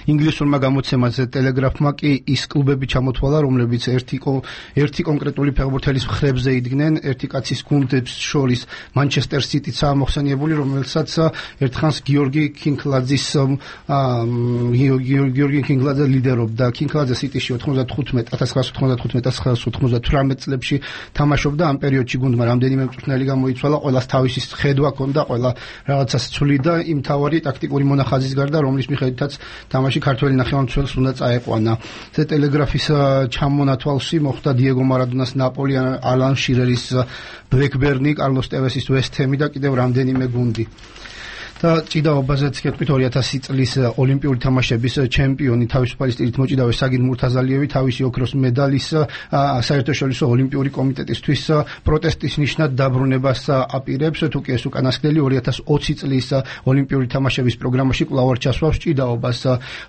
ინგლისურმა გამოცემაზე ტელეგრაფმა კი ის კლუბები ჩამოთვალა, რომლებიც ერთი კონკრეტული ფეხბურთელის მხრებზე იდგნენ. ერთი კაცის გუნდებს შორის მანჩესტერ სიტიცაა მოხსენიებული, რომელსაც ერთხანს გიორგი კინკლაძე ლიდერობდა. კინკლაძე სიტიში 1995-1998 წლებში თამაშობდა. ამ პერიოდში გუნდმა რამდენიმე მწვრთნელი გამოიცვალა, ყველას თავისი ხედვა ჰქონდა, ყველა რაღაცას ცვლიდა იმ თავარი ტაქტიკური მონახაზის გარდა, რომლის მიხედვითაც თამაში ქართველი ნახევარმცველს უნდა წაეყვანა. ეს ტელეგრაფის ჩამონათვალში მოხდა დიეგო მარადონას ნაპოლი, ალან შირერის ბლეკბერნი, კარლოს ტევესის ვესტჰემი და კიდევ რამდენიმე გუნდი. და ჭიდაობაზეც გეტყვით 2000 წლის ოლიმპიური თამაშების ჩემპიონი თავისუფალი სტილით მოჭიდავე საგიდ მურთაზალიევი თავისი ოქროს მედალის საერთაშორისო ოლიმპიური კომიტეტისთვის პროტესტის ნიშნად დაბრუნებას აპირებს. თუ კი ეს უკანასკნელი 2020 წლის ოლიმპიური თამაშების პროგრამაში კვლავ არ ჩასვავს ჭიდაობას.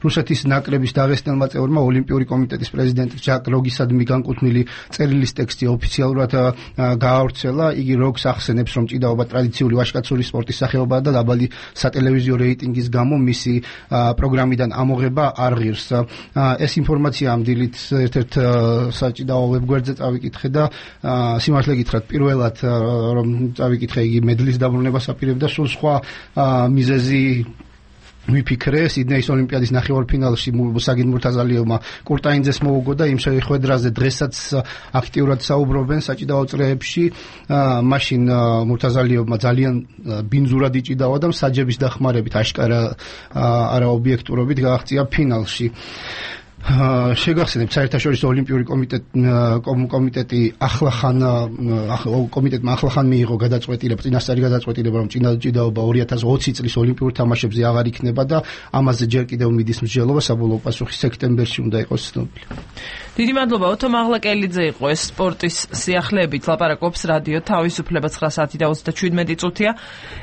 რუსეთის ნაკრების დაღესტნელმა წევრმა ოლიმპიური კომიტეტის პრეზიდენტ ჟაკ როგისადმი განკუთვნილი წერილის ტექსტი ოფიციალურად გაავრცელა. იგი როგს ახსენებს, რომ ჭიდაობა ტრადიციული ვაჟკაცური სპორტის სახეობაა და დაბალი სატელევიზიო რეიტინგის გამო მისი პროგრამიდან ამოღება არ ღირს. ეს ინფორმაცია ამ დილით ერთ-ერთ საჭიდაო ვებგვერდზე წავიკითხე და სიმართლე გითხრათ, პირველად რომ წავიკითხე, იგი მედლის დაბრუნებას აპირებდა, სულ სხვა მიზეზი ვიფიქრე. სიდნეის ოლიმპიადის ნახევარფინალში საგიდ მურთაზალიევმა კურტაინძეს მოუგო და იმ შეხვედრაზე დღესაც აქტიურად საუბრობენ საჭიდაო წრეებში. მაშინ მურთაზალიევმა ძალიან ბინძურად იჭიდავა და მსაჯების დახმარებით აშკარა არაობიექტურობით გააღწია ფინალში. შეგახსენებთ, საერთაშორისო ოლიმპიური კომიტეტი კომიტეტმა ახლახან მიიღო წინასწარი გადაწყვეტილება, რომ ჭიდაობა 2020 წლის ოლიმპიურ თამაშებზე აღარ იქნება და ამაზე ჯერ კიდევ მიდის მსჯელობა. საბოლოო პასუხი სექტემბერში უნდა იყოს ცნობილი. დიდი მადლობა. ოთო მაღლაკელიძე იყო ეს სპორტის სიახლეებით ლაპარაკობს რადიო თავისუფლება 9 საათი და 37 წუთია.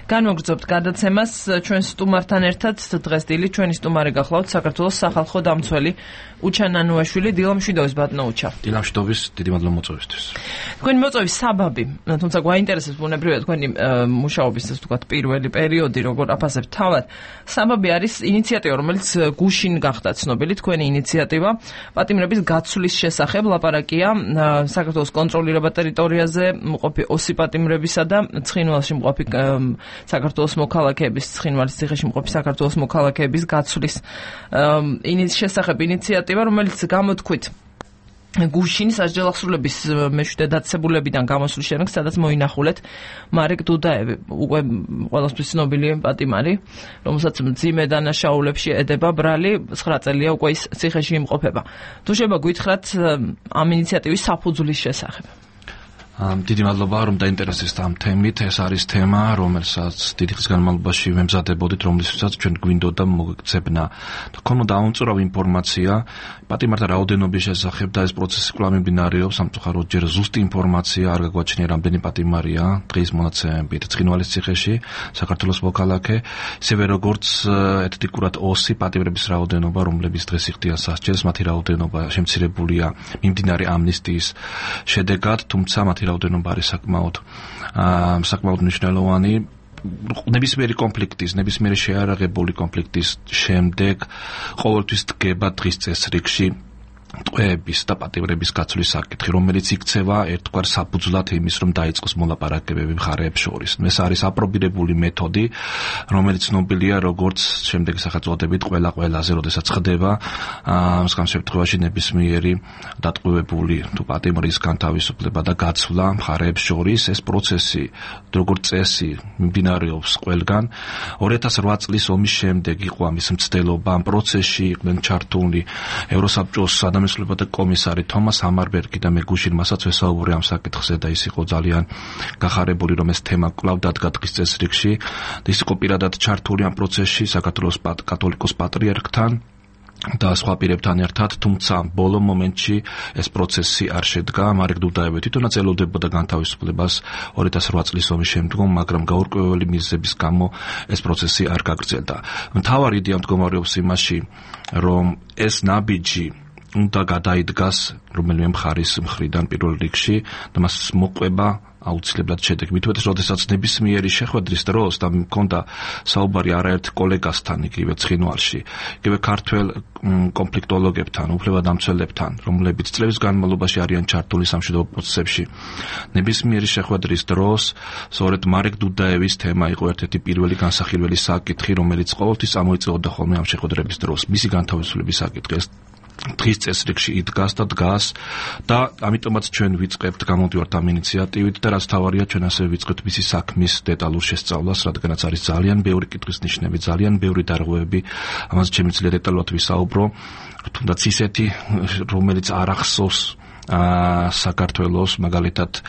განმოგრძობთ გადაცემას ჩვენ სტუმართან ერთად. დღეს დილით ჩვენი სტუმარი გახლავთ საქართველოს სახალხო დამცველი უჩან ანუაშვილი. დილამშვიდობის ბატონო უჩა. დილამშვიდობის, დიდი მადლობა მოწვევისთვის. თქვენი მოწვევის საბაბი, თუმცა გვაინტერესებს ბუნებრივია თქვენი მუშაობის ასე ვთქვათ პირველი პერიოდი, როგორ აფასებთ თავად. საბაბი არის ინიციატივა, რომელიც გუშინ გახდა ცნობილი, თქვენი ინიციატივა პატიმრების გაცვლის შესახებ. ლაპარაკია საქართველოს კონტროლირებად ტერიტორიაზე მყოფი ოსი პატიმრებისა და ცხინვალში მყოფი საქართველოს მოქალაქეების, ცხინვალის ციხეში მყოფი საქართველოს მოქალაქეების გაცვლის შესახებ ინიციატივა, რომელიც გამოთქვით გუშინ სასჯელახსრულების მეშვიდე დაწესებულებიდან გამოსულ შემდეგ, სადაც მოინახულეთ მარეკ დუდაევი, უკვე ყველასთვის ცნობილი პატიმარი, რომელსაც მძიმე დანაშაულებში ედება ბრალი, 9 წელია უკვე ის ციხეში იმყოფება. თუ შეიძლება გითხრათ ამ ინიციატივის საფუძვლის შესახებ. დიდი მადლობა, რომ დაინტერესდით ამ თემით. ეს არის თემა, რომელსაც დიდი ხნის განმავლობაში ვემზადებოდით, რომლისთვისაც ჩვენ გვინდოდა მოგეცებნა. თქონოდა აუმწურავი ინფორმაცია პატიმართა რაოდენობის შესახებ და ეს პროცესი კვლავ მიმდინარეობს. სამწუხაროდ ჯერ ზუსტი ინფორმაცია არ გაგვაჩნია, რამდენი პატიმარია დღის მონაცემებით ცხინვალის ციხეში, საქართველოს მოქალაქე, ისევე როგორც ეთნიკურად ოსი პატიმრების რაოდენობა, რომლებიც დღეს იხდიან სასჯელს, მათი რაოდენობა შემცირებულია მიმდინარე ამნისტიის შედეგად, თუმცა მათი რაოდენობა არის საკმაოდ მნიშვნელოვანი. ნებისმიერი კონფლიქტის, ნებისმიერი შეარაღებული კონფლიქტის შემდეგ ყოველთვის დგება დღის წესრიგში ტყვეების და პატიმრების გაცვლის საკითხი, რომელიც იქცევა ერთგვარ საფუძვლად იმის, რომ დაიწყოს მოლაპარაკებები მხარეებს შორის. ეს არის აპრობირებული მეთოდი, რომელიც ცნობილია როგორც შემდეგი სახელწოდებით ყველაზე, როდესაც ხდება მსგავს შემთხვევაში ნებისმიერი დატყვევებული თუ პატიმრის განთავისუფლება და გაცვლა მხარეებს შორის. ეს პროცესი როგორც წესი მიმდინარეობს ყველგან. 2008 წლის ომის შემდეგ იყო ამის მცდელობა. ამ პროცესში იყვნენ ჩართულნი ევროსაბჭოს ადამიანთა კომისარი თომას ამარბერგი და მე გუშინ მასაც ვესაუბრე ამ საკითხზე და ის იყო ძალიან გახარებული, რომ ეს თემა კვლავ დადგა დღის წესრიგში. ის იყო პირადად ჩართული ამ პროცესში საქართველოს კათოლიკოს პატრიარქთან და სხვა პირებთან ერთად, თუმცა ბოლო მომენტში ეს პროცესი არ შედგა, მარეკ დუდაევი თვითონაც ელოდებოდა განთავისუფლებას 2008 წლის ომის შემდგომ, მაგრამ გაურკვეველი მიზეზების გამო ეს პროცესი არ გაგრძელდა. მთავარი იდეა მდგომარეობს იმაში, რომ ეს ნაბიჯი უნდა გადაიდგას რომელიმე მხარის მხრიდან პირველ რიგში და მას მოყვება აუცილებლად შედეგი. მით უმეტეს, როდესაც ნებისმიერი შეხვედრის დროს და მქონდა საუბარი არაერთ კოლეგასთან იგივე ცხინვალში, იგივე ქართველ კონფლიქტოლოგებთან, უფლებადამცველებთან, რომლებიც წლების განმავლობაში არიან ჩართული სამშვიდობო პროცესებში. ნებისმიერი შეხვედრის დროს სწორედ მარეკ დუდაევის თემა იყო ერთ-ერთი პირველი განსახილველი საკითხი, რომელიც ყოველთვის წამოიწეოდა ხოლმე ამ შეხვედრების დროს. მისი განთავისუფლების საკითხი დღის წესრიგში იდგას და დგას და ამიტომაც ჩვენ ვიწყებთ გამოდივართ ამ ინიციატივით და რაც თავარია ჩვენ ასევე ვიწყებთ მისი საქმის დეტალურ შესწავლას, რადგანაც არის ძალიან ბევრი კითხვის ნიშნები, ძალიან ბევრი დარღვევები, ამაზე შემიძლია დეტალურად ვისაუბრო, თუნდაც ისეთი, რომელიც არ ახსოვს საქართველოს მაგალითად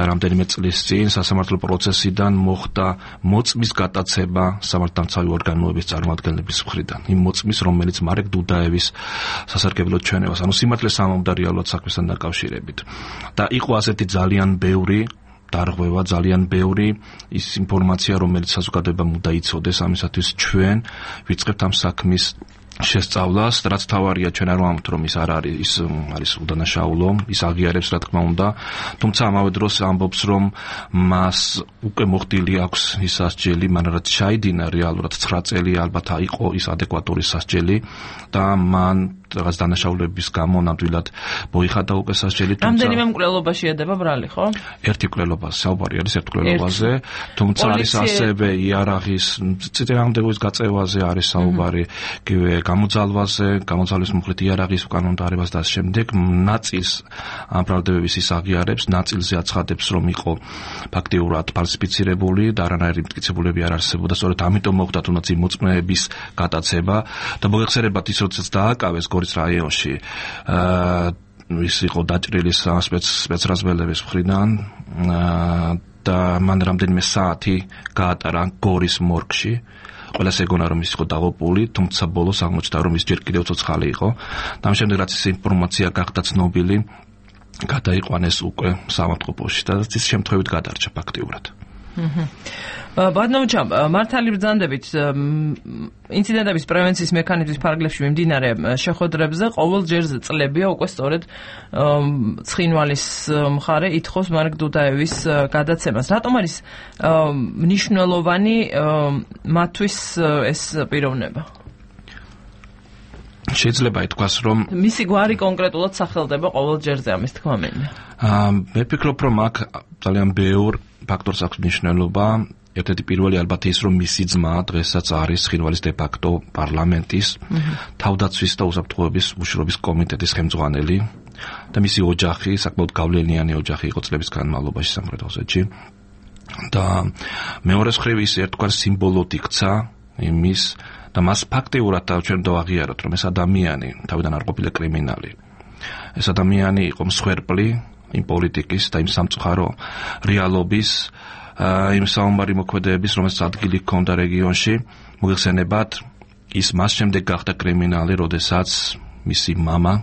რამდენიმე წლის წინ სასამართლო პროცესიდან მოხდა მოწმის გატაცება სამართალდამცავი ორგანოების წარმომადგენლების მხრიდან. იმ მოწმის, რომელიც მარეკ დუდაევის სასარგებლოდ ჩვენებას, ანუ სიმართლეს ამომდა რეალურად საქმესთან დაკავშირებით. და იყო ასეთი ძალიან ბევრი დარღვევა, ძალიან ბევრი ის ინფორმაცია, რომელიც საზოგადოებამ უნდა იცოდეს, ამისათვის ჩვენ ვიწყებთ ამ საქმის შესწავლას, რაც თავარია ჩვენ არ ვამბობთ, რომ ის არ არის, ის არის უდანაშაულო, ის აღიარებს რა თქმა უნდა, თუმცა ამავე დროს ამბობს, რომ მას უკვე მოხდილი აქვს ის სასჯელი, მაგრამ რაც ჩაიდინა რეალურად 9 წელი ალბათ იყო ის ადეკვატური სასჯელი და მან რაღაც დანაშაულების გამო ნამდვილად მოიხადა უკვე სასჯელი. რამდენიმე მკვლელობაში ედება ბრალი, ხო? ერთი მკვლელობა, საუბარი არის ერთ მკვლელობაზე, თუმცა არის ასევე იარაღის წინააღმდეგობის გაწევაზე არის საუბარი, იგივე გამოძალვის მუხლით იარაღის უკანონმდებლობას და ამ შემდეგ ნაწილს ამ ბრალდებების ის აღიარებს, ნაწილზე აცხადებს, რომ იყო ფაქტიურად ფალსიფიცირებული და არანაირი მტკიცებულები არ არსებობდა, სწორედ ამიტომ მოხდა თუნდაც იმ მოწმეების გატაცება და მოგეხსენებათ ის, როდესაც დააკავეს გორის რაიონში ის იყო დაჭრილი სპეცრაზმელების მხრიდან და მან რამდენიმე საათი გაატარა გორის მორგში. ყველას ეგონა რომ ის იყო დაღუპული, თუმცა ბოლოს აღმოჩნდა რომ ის ჯერ კიდევ ცოცხალი იყო. და ამ შემდეგ რაც ეს ინფორმაცია გახდა ცნობილი, გადაიყვანეს უკვე სამავთყოფოში და ის შემთხვევით გადარჩა ფაქტიურად. ბატონო, მართალი ბრძანდებით ინციდენტების პრევენციის მექანიზმის ფარგლებში მიმდინარე შეხვედრებზე ყოველ ჯერზე წლებია უკვე სწორედ ცხინვალის მხარე ითხოვს მარეკ დუდაევის გადაცემას. რატომ არის მნიშვნელოვანი მათთვის ეს პიროვნება? შეიძლება ითქვას, რომ მისი გვარი კონკრეტულად სახელდება ყოველ ჯერზე, ამის თქმა მინდა. მე ვფიქრობ, რომ აქ ძალიან ბევრ ფაქტორს აქვს მნიშვნელობა. ერთ-ერთი პირველი ალბათ ის, რომ მისი ძმა დღესაც არის ცხინვალის დე-ფაქტო პარლამენტის თავდაცვის და უსაფრთხოების მუშაობის კომიტეტის ხელმძღვანელი და მისი ოჯახი, საკმაოდ გავლენიანი ოჯახი იყო წლების განმავლობაში სამხრეთ ოსეთში. და მეორე მხრივ ის ერთგვარ სიმბოლოდ იქცა იმის და მას ფაქტიურად ჩვენ დავაღიაროთ, რომ ეს ადამიანი თავიდან არ ყოფილა კრიმინალი. ეს ადამიანი იყო მსხვერპლი იმ პოლიტიკის და იმ სამწუხარო რეალობის იმ საომარი მოქმედებების, რომელსაც ადგილი ჰქონდა რეგიონში. მოგეხსენებათ, ის მას შემდეგ გახდა კრიმინალი, როდესაც მისი მამა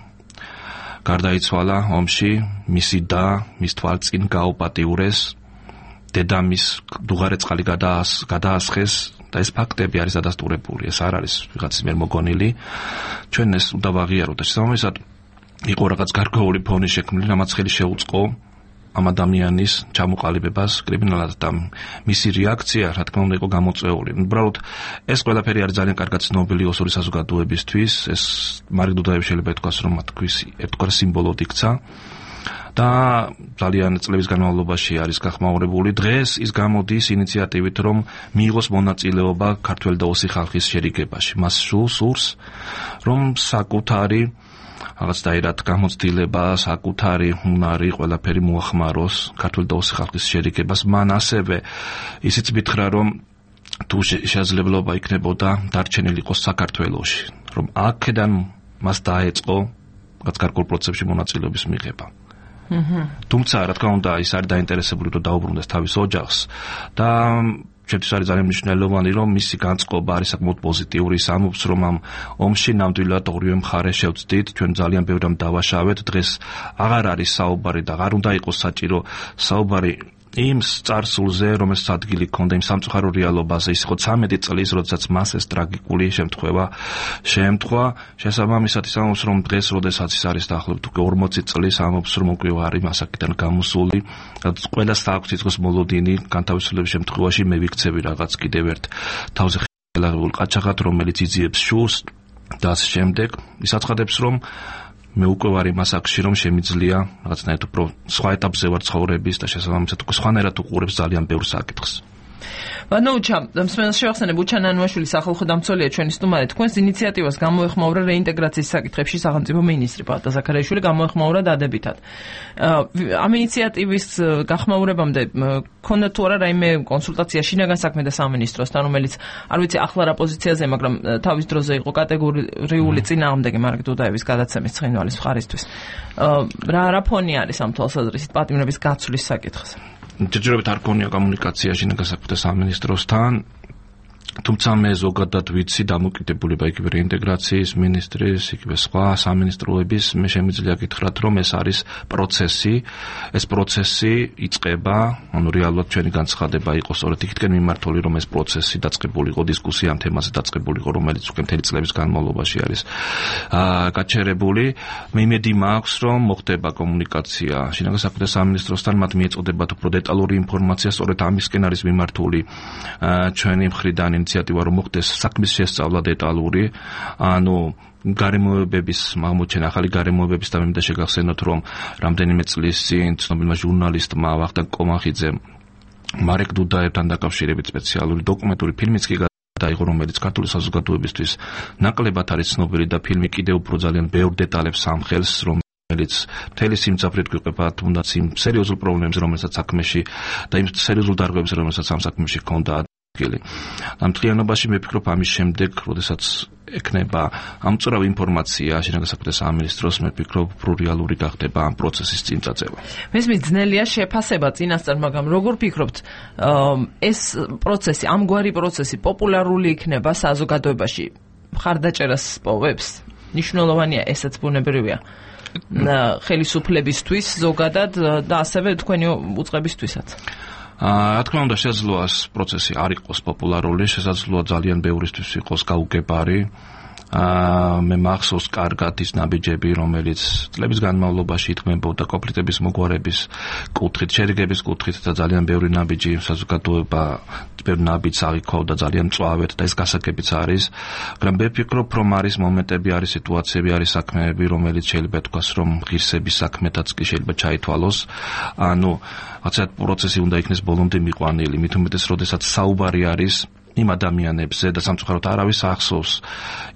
გარდაიცვალა ომში, მისი და მის თვალწინ გაუპატიურეს, დედამის დუღარეწყალი გადაასხეს და ეს ფაქტები არის დადასტურებული, ეს არ არის ვიღაცის მიერ მოგონილი. ჩვენ ეს უნდა ვაღიაროთ. შესაბამისად იყო რაღაც გარკვეული ფონი შექმნილი, რამაც ხელი შეუწყო ამ ადამიანის ჩამოყალიბებას კრიმინალად და მისი რეაქცია, რა თქმა უნდა, იყო გამოწვეული. უბრალოდ ეს ყველაფერი არის ძალიან კარგად ცნობილი ოსური საზოგადოებისთვის. ეს მარეკ დუდაევი შეიძლება ითქვას, რომ მათთვის ერთგვარ სიმბოლოდ იქცა და ძალიან წლების განმავლობაში არის გახმაურებული. დღეს ის გამოდის ინიციატივით, რომ მიიღოს მონაწილეობა ქართველ და ოსი ხალხის შერიგებაში. მას სურს, რომ საკუთარი რაღაცნაირად გამოცდილება, საკუთარი უნარი ყველაფერი მოახმაროს ქართულ და ოსი ხალხის შერიგებას. მან ასევე ისიც მითხრა, რომ თუ შესაძლებლობა იქნებოდა დარჩენილი იყოს საქართველოში, რომ აქედან მას დაეწყო რაღაც გარკვეულ პროცესებში მონაწილეობის მიღება. თუმცა, რა თქმა უნდა, ის არის დაინტერესებული, რომ დაუბრუნდეს თავის ოჯახს და ჩვენთვის არის ძალიან მნიშვნელოვანი, რომ მისი განწყობა არის საკმაოდ პოზიტიური, ამბობს, რომ ამ ომში ნამდვილად ორივე მხარე შევწდით, ჩვენ ძალიან ბევრ რამ დავაშავეთ, დღეს აღარ არის საუბარი და აღარ უნდა იყოს საჭირო საუბარი იმ წარსულზე, რომელსაც ადგილი ჰქონდა იმ სამწუხარო რეალობაზე, ის იყო 13 წლის, როდესაც მას ეს ტრაგიკული შემთხვევა შეემთხვა. შესაბამისად, ის ამბობს, რომ დღეს, როდესაც ის არის დაახლოებით უკვე 40 წლის, ამბობს, რომ უკვე არის მასაკიდან გამოსული, ყველას აქვს იცის მოლოდინი, განთავისუფლების შემთხვევაში მე ვიქცევი რაღაც კიდევ ერთ თავზე ხელაღებულ ყაჩაღად, რომელიც იძიებს შულს და ასე შემდეგ. ის აცხადებს, რომ მე უკვე ვარ იმ ასაკში, რომ შემიძლია რაღაცნაირად უფრო სხვა ეტაპზე ვარ ცხოვრების და შესაბამისად უკვე სხვანაირად უყურებს ძალიან ბევრ საკითხს. Vanocham, მსმენელს შევახსენებ უჩან ანუაშვილი სახალხო დამცველია ჩვენი სტუმარი. თქვენს ინიციატივას გამოეხმაურა რეინტეგრაციის საკითხებში სახელმწიფო მინისტრი პალატა ზაქარიაშვილი გამოეხმაურა დადებითად. ამ ინიციატივის გახმაურებამდე ქონდა თუ არა რაიმე კონსულტაცია შინაგან საქმეთა სამინისტროსთან, რომელიც არ ვიცი ახლა რა პოზიციაზე, მაგრამ თავის დროზე იყო კატეგორიული წინააღმდეგი მარკ დუდაევის გადაცემის ცხინვალის მხარისთვის. რა ფონი არის ამ თვალსაზრისით პატიმრების გაცვლის საკითხზე? ჯერჯერობით არ ქონია კომუნიკაცია შინაგან საქმეთა სამინისტროსთან, თუმცა მე ზოგადად ვიცი დამოკიდებულება იგივე რეინტეგრაციის მინისტრის, იგივე სხვა სამინისტროების, მე შემიძლია გითხრათ, რომ ეს არის პროცესი, ეს პროცესი იწყება, ანუ რეალურად ჩვენი განცხადება იყო სწორედ იქითკენ მიმართული, რომ ეს პროცესი დაწყებული იყო, დისკუსია ამ თემაზე დაწყებული იყო, რომელიც უკვე მთელი წლების განმავლობაში არის გაჩერებული. მე იმედი მაქვს, რომ მოხდება კომუნიკაცია შინაგან საქმეთა სამინისტროსთან, მათ მიეწოდებათ უფრო დეტალური ინფორმაცია, სწორედ ამისკენ არის მიმართული ჩვენი მხრიდან ინიციატივა, რომ მოხდეს საქმის შესწავლა დეტალური, ანუ გარემოებების აღმოჩენა, ახალი გარემოებების და მე მინდა შეგახსენოთ, რომ რამდენიმე წლის წინ ცნობილმა ჟურნალისტმა ვახტანგ კომახიძემ მარეკ დუდაევთან დაკავშირებით სპეციალური დოკუმენტური ფილმიც კი დაიღო, რომელიც ქართული საზოგადოებისთვის ნაკლებად არის ცნობილი და ფილმი კიდევ უფრო ძალიან ბევრ დეტალებს ამხელს, რომელიც მთელი სიმძაფრით გვიყვება თუნდაც იმ სერიოზულ პრობლემებს, რომელსაც საქმეში და იმ სერიოზულ დარღვევებს, რომელსაც ამ საქმეში ჰქონდა. ამ მთლიანობაში მე ვფიქრობ, ამის შემდეგ, როდესაც ექნება ამწურავი ინფორმაცია შინაგან საქმეთა სამინისტროს, მე ვფიქრობ, უფრო რეალური გახდება ამ პროცესის წინწაწევა. მესმის ძნელია შეფასება წინასწარ, მაგრამ როგორ ფიქრობთ, ეს პროცესი, ამგვარი პროცესი პოპულარული იქნება საზოგადოებაში? მხარდაჭერას პოვებს? მნიშვნელოვანია, ესაც ბუნებრივია. ხელისუფლებისთვის ზოგადად და ასევე თქვენი უწყებისთვისაც. რა თქმა უნდა, შესაძლოა ეს პროცესი არ იყოს პოპულარული, შესაძლოა ძალიან ბევრისთვის იყოს გაუგებარი. მე მახსოვს კარგად ის ნაბიჯები, რომელიც წლების განმავლობაში ითქმებოდა კონფლიქტების მოგვარების კუთხით, შერიგების კუთხით და ძალიან ბევრი ნაბიჯი საზოგადოება ბევრ ნაბიჯს აღიქოვდა ძალიან მწვავედ და ეს გასაგებიც არის. მაგრამ მე ვფიქრობ, რომ არის მომენტები, არის სიტუაციები, არის საქმეები, რომელიც შეიძლება თქვას, რომ ღირსების საქმეთაც კი შეიძლება ჩაითვალოს. ანუ რაღაცა პროცესი უნდა იქნეს ბოლომდე მიყვანილი, მით უმეტეს, როდესაც საუბარი არის იმ ადამიანებზე და სამწუხაროდ არავის ახსოვს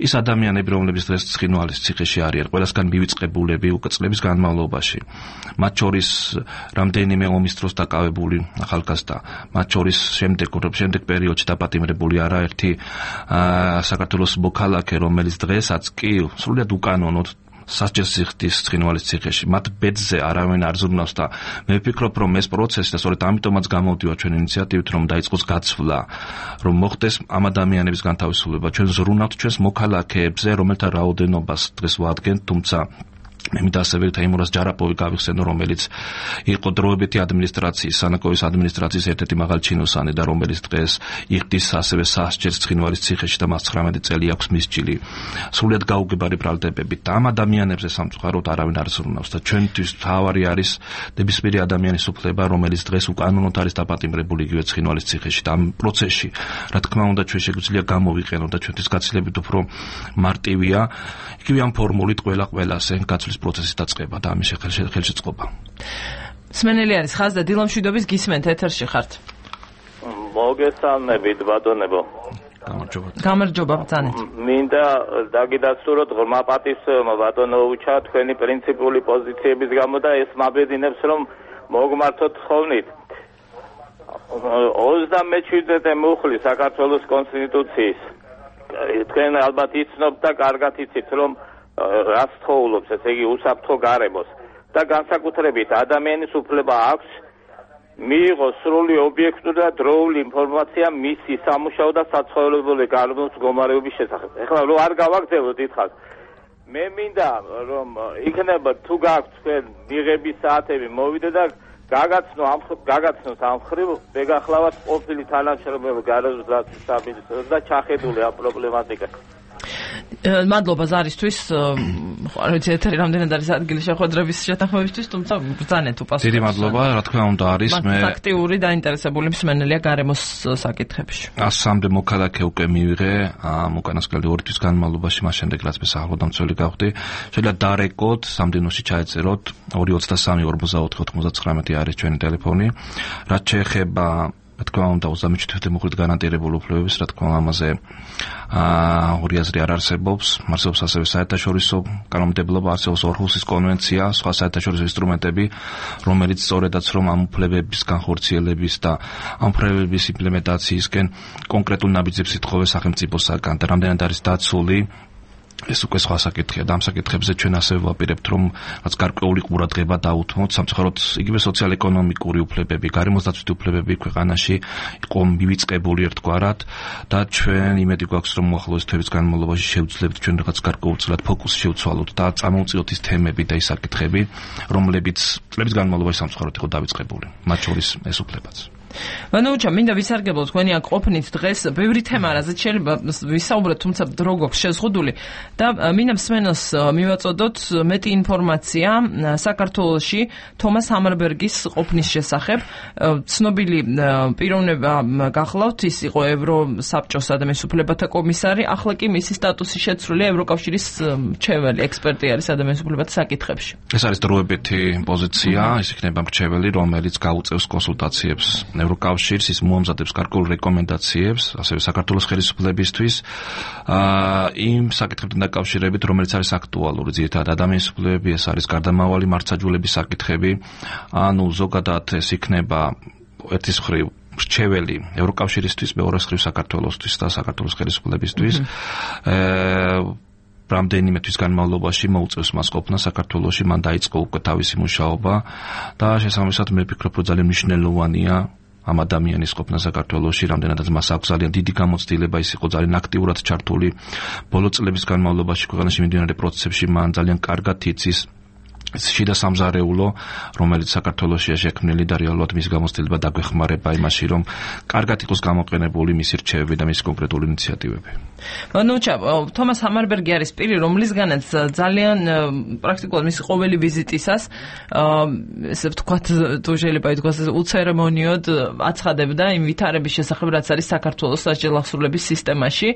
ის ადამიანები, რომლებიც დღეს ცხინვალის ციხეში არიან, ყველასგან მივიწყებულები უკვე წლების განმავლობაში. მათ შორის რამდენიმე ომის დროს დაკავებული ახალგაზრდა, მათ შორის შემდეგ პერიოდში დაპატიმრებული არაერთი საქართველოს მოქალაქე, რომელიც დღესაც კი სრულიად უკანონოდ სასჯელს იხდის ცხინვალის ციხეში. მათ ბედზე არავინ არ ზრუნავს და მე ვფიქრობ, რომ ეს პროცესი და სწორედ ამიტომაც გამოვდივარ ჩვენ ინიციატივით, რომ დაიწყოს გაცვლა, რომ მოხდეს ამ ადამიანების განთავისუფლება. ჩვენ ზრუნავთ ჩვენს მოქალაქეებზე, რომელთა რაოდენობას დღეს ვადგენთ, თუმცა მე მინდა ასევე თეიმურაზ ჯარაპოვი გავიხსენო, რომელიც იყო დროებითი ადმინისტრაციის, სანაკოის ადმინისტრაციის ერთ-ერთი მაღალჩინოსანი და რომელიც დღეს იხდის ასევე სასჯელს ცხინვალის ციხეში და მას 19 წელი აქვს მისჯილი. სრულიად გაუგებარი ბრალდებებით და ამ ადამიანებზე სამწუხაროდ არავინ არ ზრუნავს და ჩვენთვის თავარი არის ნებისმიერი ადამიანის უფლება, რომელიც დღეს უკანონოდ არის დაპატიმრებული იგივე ცხინვალის ციხეში და ამ პროცესში, რა თქმა უნდა, ჩვენ შეგვიძლია გამოვიყენოთ და ჩვენთვის გაცილებით უფრო მარტივია იგივე ამ ფორმულით ყველასე გაცვლის პროცესი დაწყება და ამის ხელშეწყობა. სმენელი არის ხაზ და დილამშვიდობის გისმენთ, ეთერში ხართ. მოგესალმებით, ბატონებო. გამარჯობა, ბრძანეთ. მინდა დაგიდასტუროთ ღრმა პატივსაცემად ბატონო უჩა თქვენი პრინციპული პოზიციების გამო და ეს მაბედინებს, რომ მოგმართოთ ხოვნით. 37 მუხლი საქართველოს კონსტიტუციის. თქვენ ალბათ იცნობთ და კარგად იცით, რომ რას თხოვლობს, ესე იგი უსაფრთხო გარემოს და განსაკუთრებით ადამიანის უფლება აქვს მიიღო სრული ობიექტური და დროული ინფორმაცია მისი სამუშაო და საცხოვრებელი გარემოს მდგომარეობის შესახებ. ეხლა რო არ გავაგრძელოთ დიდხანს. მე მინდა რომ იქნება თუ გაქვთ თქვენ მიღების საათები მოვიდე და გაგაცნოთ ამ ხრივ მეგახლავთ ყოფილი თანამშრომელი გარემოს სამინისტროს და ჩახედული ამ პრობლემატიკას. მადლობა ზარისთვის. არ ვიცი ეთერი რამდენად არის ადგილი შეხვედრების შეთანხმებისთვის, თუმცა ბრძანეთ უპასუხოს. დიდი მადლობა, რა თქმა უნდა არის მე აქტიური დაინტერესებული მსმენელია გარემოს საკითხებში. 103 მოქალაქე უკვე მივიღე ამ უკანასკნელი 2 თვის განმავლობაში, მას შემდეგ რაც მე სახელმწიფო გავხდი. შეიძლება დარეკოთ, სამდენოში ჩაეწეროთ 223 44 99 არის ჩვენი ტელეფონი. რაც შეეხება რა თქმა უნდა 37 მოხდით განანტირებულ უფლებებს, რა თქმა უნდა ამაზე ორი აზრი არ არსებობს. არსებობს ასევე საერთაშორისო კანონმდებლობა, არსებობს ორჰუსის კონვენცია, სხვა საერთაშორისო ინსტრუმენტები, რომელიც სწორედაც რომ ამ უფლებების განხორციელების და ამ უფლებების იმპლემენტაციისკენ კონკრეტულ ნაბიჯებს ითხოვეს სახელმწიფოსაგან და რამდენად არის დაცული ეს უკვე სხვა საკითხია და ამ საკითხებზე ჩვენ ასევე ვაპირებთ რომ რაც გარკვეული ყურადღება დაუთმოთ სამწუხაროდ იგივე სოციალ-ეკონომიკური უფლებები, გარემოსდაცვითი უფლებები ქვეყანაში იყო მივიწყებული ერთგვარად და ჩვენ იმედი გვაქვს რომ მოახლოეს თვეების განმავლობაში შევძლებთ ჩვენ რაღაც გარკვეულწილად ფოკუსი შევცვალოთ და წამოვწიოთ ის თემები და ის საკითხები რომლებიც წლების განმავლობაში სამწუხაროდ იყო დავიწყებული, მათ შორის ეს უფლებაც. ვანოუჩა, მინდა ვისარგებლოთ თქვენი აქ ყოფნით დღეს ბევრი თემა, რაზეც შეიძლება ვისაუბროთ, თუმცა დრო გვაქვს შეზღუდული და მინდა მსმენელს მივაწოდოთ მეტი ინფორმაცია საქართველოში თომას ჰამარბერგის ყოფნის შესახებ. ცნობილი პიროვნება გახლავთ, ის იყო ევროსაბჭოს ადამიანის უფლებათა კომისარი, ახლა კი მისი სტატუსი შეცვლილია ევროკავშირის მრჩეველი ექსპერტი არის ადამიანის უფლებათა საკითხებში. ეს არის დროებითი პოზიცია, ის იქნება მრჩეველი, რომელიც გაუწევს კონსულტაციებს ევროკავშირს, ის მოამზადებს გარკვეულ რეკომენდაციებს, ასევე საქართველოს ხელისუფლებისთვის, იმ საკითხებთან დაკავშირებით, რომელიც არის აქტუალური, ძირითადად ადამიანის უფლებები, ეს არის გარდამავალი მართლმსაჯულების საკითხები, ანუ ზოგადად ეს იქნება ერთის მხრივ მრჩეველი ევროკავშირისთვის, მეორეს მხრივ საქართველოსთვის და საქართველოს ხელისუფლებისთვის. რამდენიმე თვის განმავლობაში მოუწევს მას ყოფნა საქართველოში, მან დაიწყო უკვე თავისი მუშაობა და შესაბამისად მე ვფიქრობ, რომ ძალიან მნიშვნელოვანია ამ ადამიანის ყოფნა საქართველოში, რამდენადაც მას აქვს ძალიან დიდი გამოცდილება, ის იყო ძალიან აქტიურად ჩართული ბოლო წლების განმავლობაში ქვეყანაში მიმდინარე პროცესებში, მან ძალიან კარგად იცის შიდა სამზარეულო, რომელიც საქართველოშია შექმნილი და რეალურად მის გამოცდილება დაგვეხმარება იმაში, რომ კარგად იყოს გამოყენებული მისი რჩევები და მისი კონკრეტული ინიციატივები. ნუჩა, თომას ჰამარბერგი არის პირი, რომლისგანაც ძალიან პრაქტიკულად მისი ყოველი ვიზიტისას, ესე ვთქვათ, თუ შეიძლება ითქვას, უცერემონიოდ აცხადებდა იმ ვითარების შესახებ, რაც არის საქართველოს სასჯელ ახსრულების სისტემაში.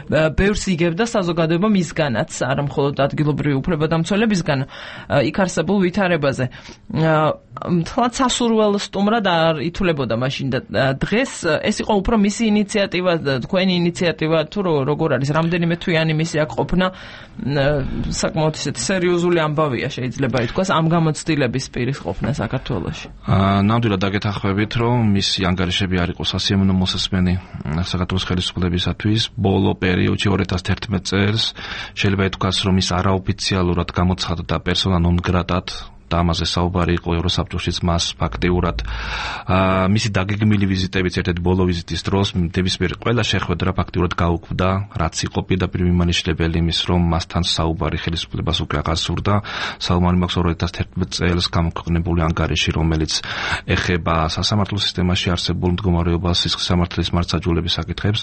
ბევრს იგებდა საზოგადოება მისგანაც, არა მხოლოდ ადგილობრივი უფლებადამცველებისგან, იქ არსებულ ვითარებაზე. თლაც სასურველ სტუმრად არ ითვლებოდა მაშინ და დღეს ეს იყო უფრო მისი ინიციატივა, თქვენი ინიციატივა თუ როგორ არის, რამდენიმე თვიანი მისი აქ ყოფნა, საკმაოდ ისეთი სერიოზული ამბავია შეიძლება ითქვას ამ გამოცდილების პირის ყოფნა საქართველოში. ნამდვილად დაგეთანხმებით, რომ მისი ანგარიშები არ იყო სასიამოვნო მოსასმენი საქართველოს ხელისუფლებისათვის. ბოლო პერიოდში 2011 წელს შეიძლება ითქვას, რომ ის არაოფიციალურად გამოცხადდა პერსონა ნონ გრატად და ამაზე საუბარი იყო ევროსაბჭოშიც მას ფაქტიურად. მისი დაგეგმილი ვიზიტებიც ერთ-ერთი ბოლო ვიზიტის დროს ნებისმიერ ყველა შეხვედრა ფაქტიურად გაუქმდა, რაც იყო პირდაპირ მიმანიშნებელი იმის, რომ მასთან საუბარი ხელისუფლებას უკვე აღარ სურდა. საუბარი მაქვს 2011 წელს გამოქვეყნებული ანგარიში, რომელიც ეხება სასამართლო სისტემაში არსებულ მდგომარეობას, სისხლის სამართლის მართლმსაჯულების საკითხებს.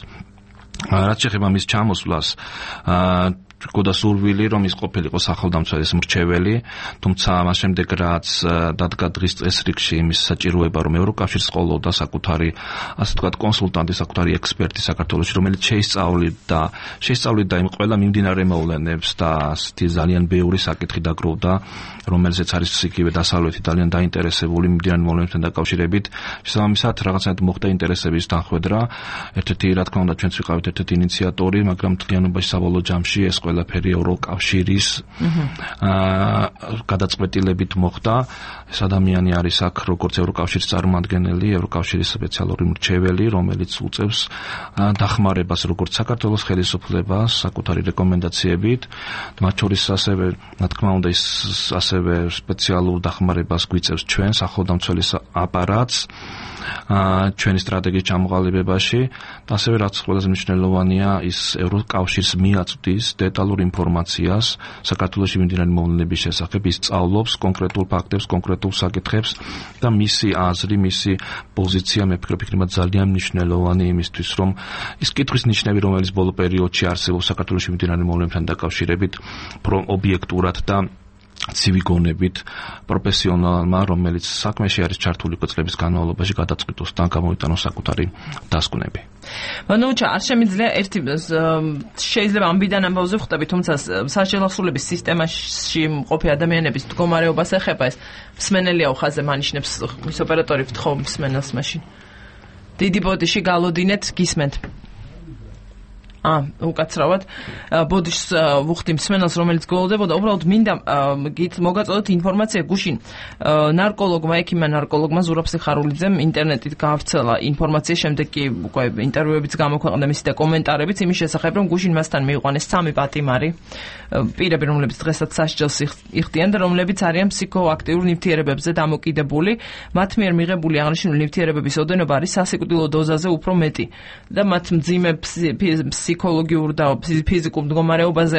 რაც შეეხება მის ჩამოსვლას, გქონდა სურვილი, რომ ის ყოფილიყო სახელმწიფოს მრჩეველი, თუმცა მას შემდეგ რაც დადგა დღის წესრიგში იმის საჭიროება, რომ ევროკავშირს ყოლოდა საკუთარი, ასე ვთქვათ, კონსულტანტი, საკუთარი ექსპერტი საქართველოში, რომელიც შეისწავლიდა იმ ყველა მიმდინარე მოვლენებს და ძალიან ბევრი საკითხი დაგროვდა, რომელზეც არის იგივე დასავლეთი ძალიან დაინტერესებული მიმდინარე მოვლენებთან დაკავშირებით. შესაბამისად, რაღაცნაირად მოხდა ინტერესების თანხვედრა. ერთ-ერთი, რა თქმა უნდა, ჩვენც ვიყავით ერთ-ერთი ინიციატორი, მაგრამ მთლიანობაში საბოლოო ჯამში ეს ყველაფერი ევროკავშირის გადაწყვეტილებით მოხდა. ეს ადამიანი არის აქ როგორც ევროკავშირის წარმოადგენელი, ევროკავშირის სპეციალური მრჩეველი, რომელიც უწევს დახმარებას როგორც საქართველოს ხელისუფლებას საკუთარი რეკომენდაციებით, მათ შორის ასევე, რა თქმა უნდა, ის ასევე სპეციალურ დახმარებას გვიწევს ჩვენ სახელმწიფოს აპარატს ჩვენი სტრატეგიის ჩამოყალიბებაში და ასევე რაც ყველაზე მნიშვნელოვანია ის ევროკავშირს მიაწვდის დეტალურ ინფორმაციას საქართველოში მიმდინარე მოვლენების შესახებ ის სწავლობს კონკრეტულ ფაქტებს, კონკრეტულ საკითხებს და მისი აზრი, მისი პოზიცია მე ვფიქრობ ძალიან მნიშვნელოვანი იმისთვის რომ ის კითხვის ნიშნები რომელიც ბოლო პერიოდში არსებობს საქართველოში მიმდინარე მოვლენებთან დაკავშირებით ობიექტურად და ცივი გონებით პროფესიონალმა, რომელიც საქმეში არის ჩართული წლების განმავლობაში გადაწყვიტოს და გამოვიტანოს საკუთარი დასკვნები. მანუჩა, არ შემიძლია ერთი შეიძლება ამბიდან ამბავზე ვხვდები, თუმცა სასჯელ ახსულების სისტემაში მყოფი ადამიანების მდგომარეობას ეხება ეს მსმენელია ხაზე მანიშნებს მის ოპერატორი ვთხოვ მსმენელს მაშინ. დიდი ბოდიში გალოდინეთ, გისმენთ. უკაცრავად ბოდიშს ვუხდი მსმენელს რომელიც გველოდებოდა უბრალოდ მინდა მოგაწოდოთ ინფორმაცია გუშინ ნარკოლოგმა ექიმმა ნარკოლოგმა ზურაბ სიხარულიძემ ინტერნეტით გაავრცელა ინფორმაცია შემდეგ კი უკვე ინტერვიუებიც გამოქვეყნდა მისი და კომენტარებიც იმის შესახებ რომ გუშინ მასთან მიიყვანეს 3 პატიმარი პირები რომლებიც დღესაც სასჯელს იხდიან და რომლებიც არიან ფსიქოაქტიურ ნივთიერებებზე დამოკიდებული მათ მიერ მიღებული აღნიშნული ნივთიერებების ოდენობა არის სასიკვდილო დოზაზე უფრო მეტი და მათ მძიმე ფსიქოლოგიურ და ფიზიკურ მდგომარეობაზე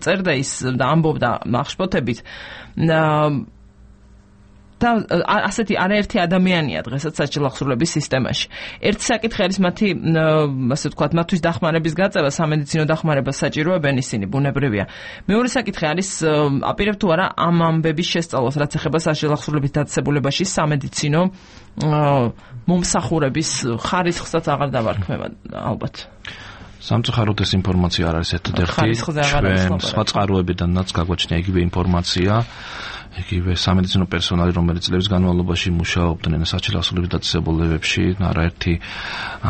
წერდა ის და ამბობდა ახშფოთებით და ასეთი არაერთი ადამიანია დღესაც სასჯელ ახსულების სისტემაში. ერთი საკითხი არის მათი ასე ვთქვათ, მათთვის დახმარების გაწევა, სამედიცინო დახმარებას საჭიროებენ ისინი, ბუნებრივია. მეორე საკითხი არის აპირებ თუ არა ამ ამბების შესწავლას, რაც ეხება სასჯელ ახსულების დაწესებულებაში სამედიცინო მომსახურების ხარისხსაც აღარ დავარქმევა ალბათ. სამწუხაროდ ეს ინფორმაცია არ არის ერთადერთი ჩვენ სხვა წყაროებიდანაც გაგვაჩნია იგივე ინფორმაცია იგივე სამედიცინო პერსონალი რომელიც წლების განმავლობაში მუშაობდნენ სასჯელ ახსულების დაწესებულებებში არაერთი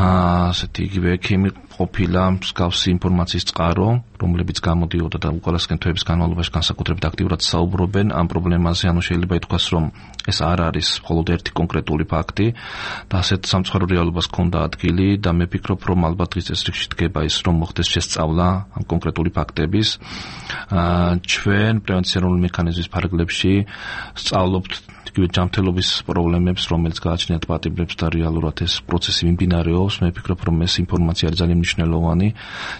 ასეთი იგივე ექიმი ყოფილა მსგავსი ინფორმაციის წყარო რომლებიც გამოდიოდა და უკანასკენ თვეების განმავლობაში განსაკუთრებით აქტიურად საუბრობენ ამ პრობლემაზე ანუ შეიძლება ითქვას რომ ეს არ არის მხოლოდ ერთი კონკრეტული ფაქტი და ასეთ სამწუხარო რეალობას ჰქონდა ადგილი და მე ვფიქრობ რომ ალბათ დღის წესრიგში დგება ის რომ მოხდეს შესწავლა ამ კონკრეტული ფაქტების ჩვენ პრევენციული მექანიზმის ფარგლებში სწავლობთ იგივე ჯანმრთელობის პრობლემებს რომელიც გააჩნიათ პატიმრებს და რეალურად ეს პროცესი მიმდინარეობს მე ვფიქრობ რომ ეს ინფორმაცია არის ძალიან მნიშვნელოვანი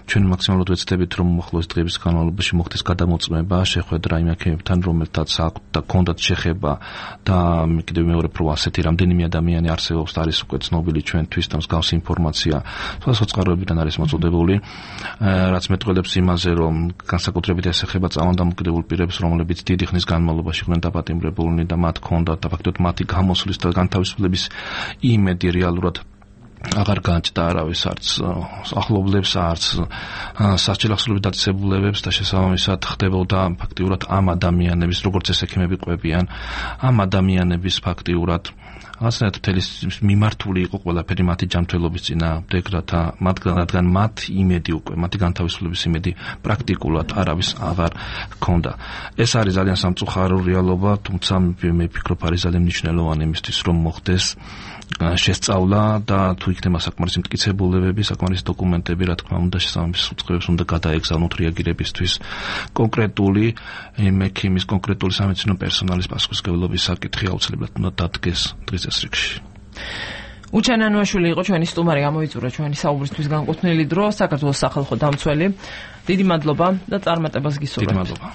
ჩვენ მაქსიმალურად ვეცდებით რომ მოხდეს დღეების განმავლობაში მოხდეს გადამოწმება შეხვედრა იმ ექიმებთან რომელთაც აქვთ და ქონდათ შეხება და კიდევ მეორე პრო ასეთი რამდენიმე ადამიანი არსებობს და არის უკვე ცნობილი ჩვენთვის და მსგავსი ინფორმაცია სხვადასხვა წყაროებიდან არის მოწოდებული რაც მეტყველებს იმაზე რომ განსაკუთრებით ეს ეხება წამალდამოკიდებულ პირებს რომლებიც დიდი ხნის განმავლობაში იყვნენ დაპატიმრებულნი და მათ ქონდათ და ფაქტობრივად მათი გამოსვლის და განთავისუფლების იმედი რეალურად აღარ განჭდა არავის არც ახლობლებს არც სასჯელ ახსულების დაწესებულებებს და შესაბამისად ხდებოდა ფაქტიურად ამ ადამიანების როგორც ეს ექიმები ყვებიან ამ ადამიანების ფაქტიურად ასეთ თელის მიმართული იყო ყველაფერი მათი ჯანმრთელობის წინააღმდეგ რადგან მათ იმედი უკვე მათი განთავისუფლების იმედი პრაქტიკულად არავის აღარ ჰქონდა ეს არის ძალიან სამწუხარო რეალობა თუმცა მე ვფიქრობ არის ძალიან მნიშვნელოვანი იმისთვის რომ მოხდეს შესწავლა და თუ იქნება საკმარისი მტკიცებულებები, საკმარისი დოკუმენტები, რა თქმა უნდა, შესაბამის უწყებებს უნდა გადაეგზავნოთ რეაგირებისთვის კონკრეტული ექიმის, კონკრეტული სამედიცინო პერსონალის პასუხისმგებლობის საკითხი აუცილებლად უნდა დადგეს დღის წესრიგში. უჩანანუაშვილი იყო ჩვენი სტუმარი, გამოიწურა ჩვენი საუბრისთვის განკუთვნილი დრო, საქართველოს სახალხო დამცველი. დიდი მადლობა და წარმატებას გისურვებთ. დიდი მადლობა.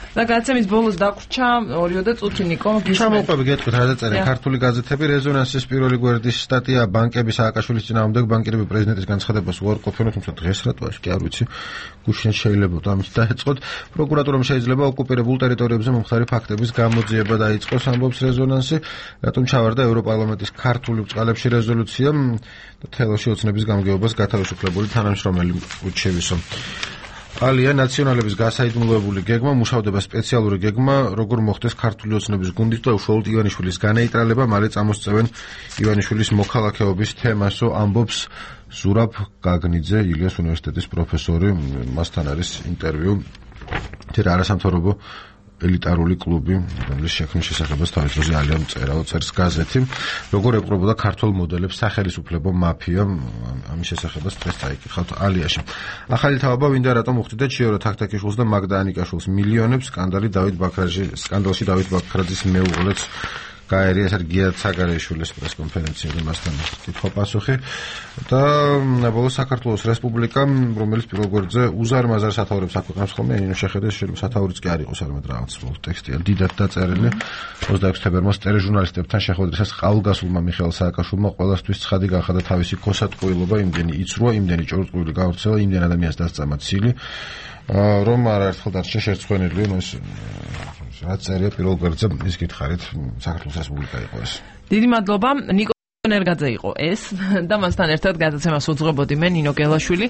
და გაცემის ბოლოს დაგვრჩა 2 წუთი ნიკო ჩამოვყვები გეტყვით რა დაწერე ქართული გაზეთები რეზონანსის პირველი გვერდის სტატია ბანკების სააკაშვილის წინააღმდეგ ბანკირები პრეზიდენტის განცხადებას უარყოფენ თუმცა დღეს რატოაში კი არ ვიცი გუშინ შეიძლება ამით დაეწყოთ პროკურატურამ შეიძლება ოკუპირებულ ტერიტორიებზე მომხდარი ფაქტების გამოძიება დაიწყოს ამბობს რეზონანსი რატომ ჩავარდა ევროპარლამენტის ქართული ბწყალებში რეზოლუცია და თელოში ოცნების გამგეობას გათავისუფლებული თანამშრომელი უჩევისო ალია ნაციონალების გასაიდუმლოებული გეგმა, მუშავდება სპეციალური გეგმა, როგორ მოხდეს ქართული ოცნების გუნდით და უშუალოდ ივანიშვილის განეიტრალება, მალე წამოსწევენ ივანიშვილის მოქალაქეობის თემასო, ამბობს ზურაბ გაგნიძე, ილიას უნივერსიტეტის პროფესორი, მასთან არის ინტერვიუ. თერა არასამთავრობო ელიტარული კლუბი, რომლის შექმნის შესახებაც თავის დროზე ალიამ წერს გაზეთი, როგორ ეპყრობოდა ქართულ მოდელებს სახელმწიფო მაფია, ამის შესახებაც დღეს წაიკითხავთ ალიაში. ახალი თავობა ვინდა რატომ უხდიდა ჩიორო თაქთაქიშვილს და მაგდა ანიკაშვილს მილიონებს, სკანდალში დავით ბაქრაძის მეუღლეც გაერია სერგეი ცაგარეიშვილის პრესკონფერენციაზე მასთან კითხვა-პასუხი და ბოლოს საქართველოს რესპუბლიკა, რომელიც პირველ გვერდზე უზარმაზარ სათაურებს აქვეყნებს ხოლმე, ინო შეხედეს შეიძლება სათაურიც კი არ იყოს არამედ რაღაც ტექსტია დიდად დაწერილი 26 თებერვალს ტელეჟურნალისტებთან შეხვედრისას ყალგასულმა მიხეილ სააკაშვილმა ყველასთვის ცხადი გახადა თავისი ქოსატყუილობა, იმდენი იცრუა, იმდენი ჭორწყუილი გავრცელა, იმდენ ადამიანს დასწამა ცილი, რომ არაერთხელ დარჩა შერცხვენილი, ეს რაც წერია პირველ გვერდზე, ის გითხარით, საქართველოს რესპუბლიკა იყო ეს. დიდი მადლობა, ნიკო ნერგაძე იყო ეს და მასთან ერთად გადაცემას უძღვებოდი მე ნინო გელაშვილი,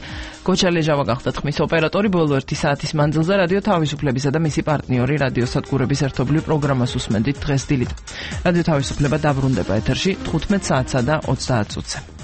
გოჩა ლეჟავა გახდა ხმის ოპერატორი, ბოლო 1 საათის მანძილზე რადიო თავისუფლებისა და მისი პარტნიორი რადიო სადგურების ერთობლივ პროგრამას უსმენდით დღეს დილით. რადიო თავისუფლება დაბრუნდება ეთერში 15 საათსა და 30 წუთზე.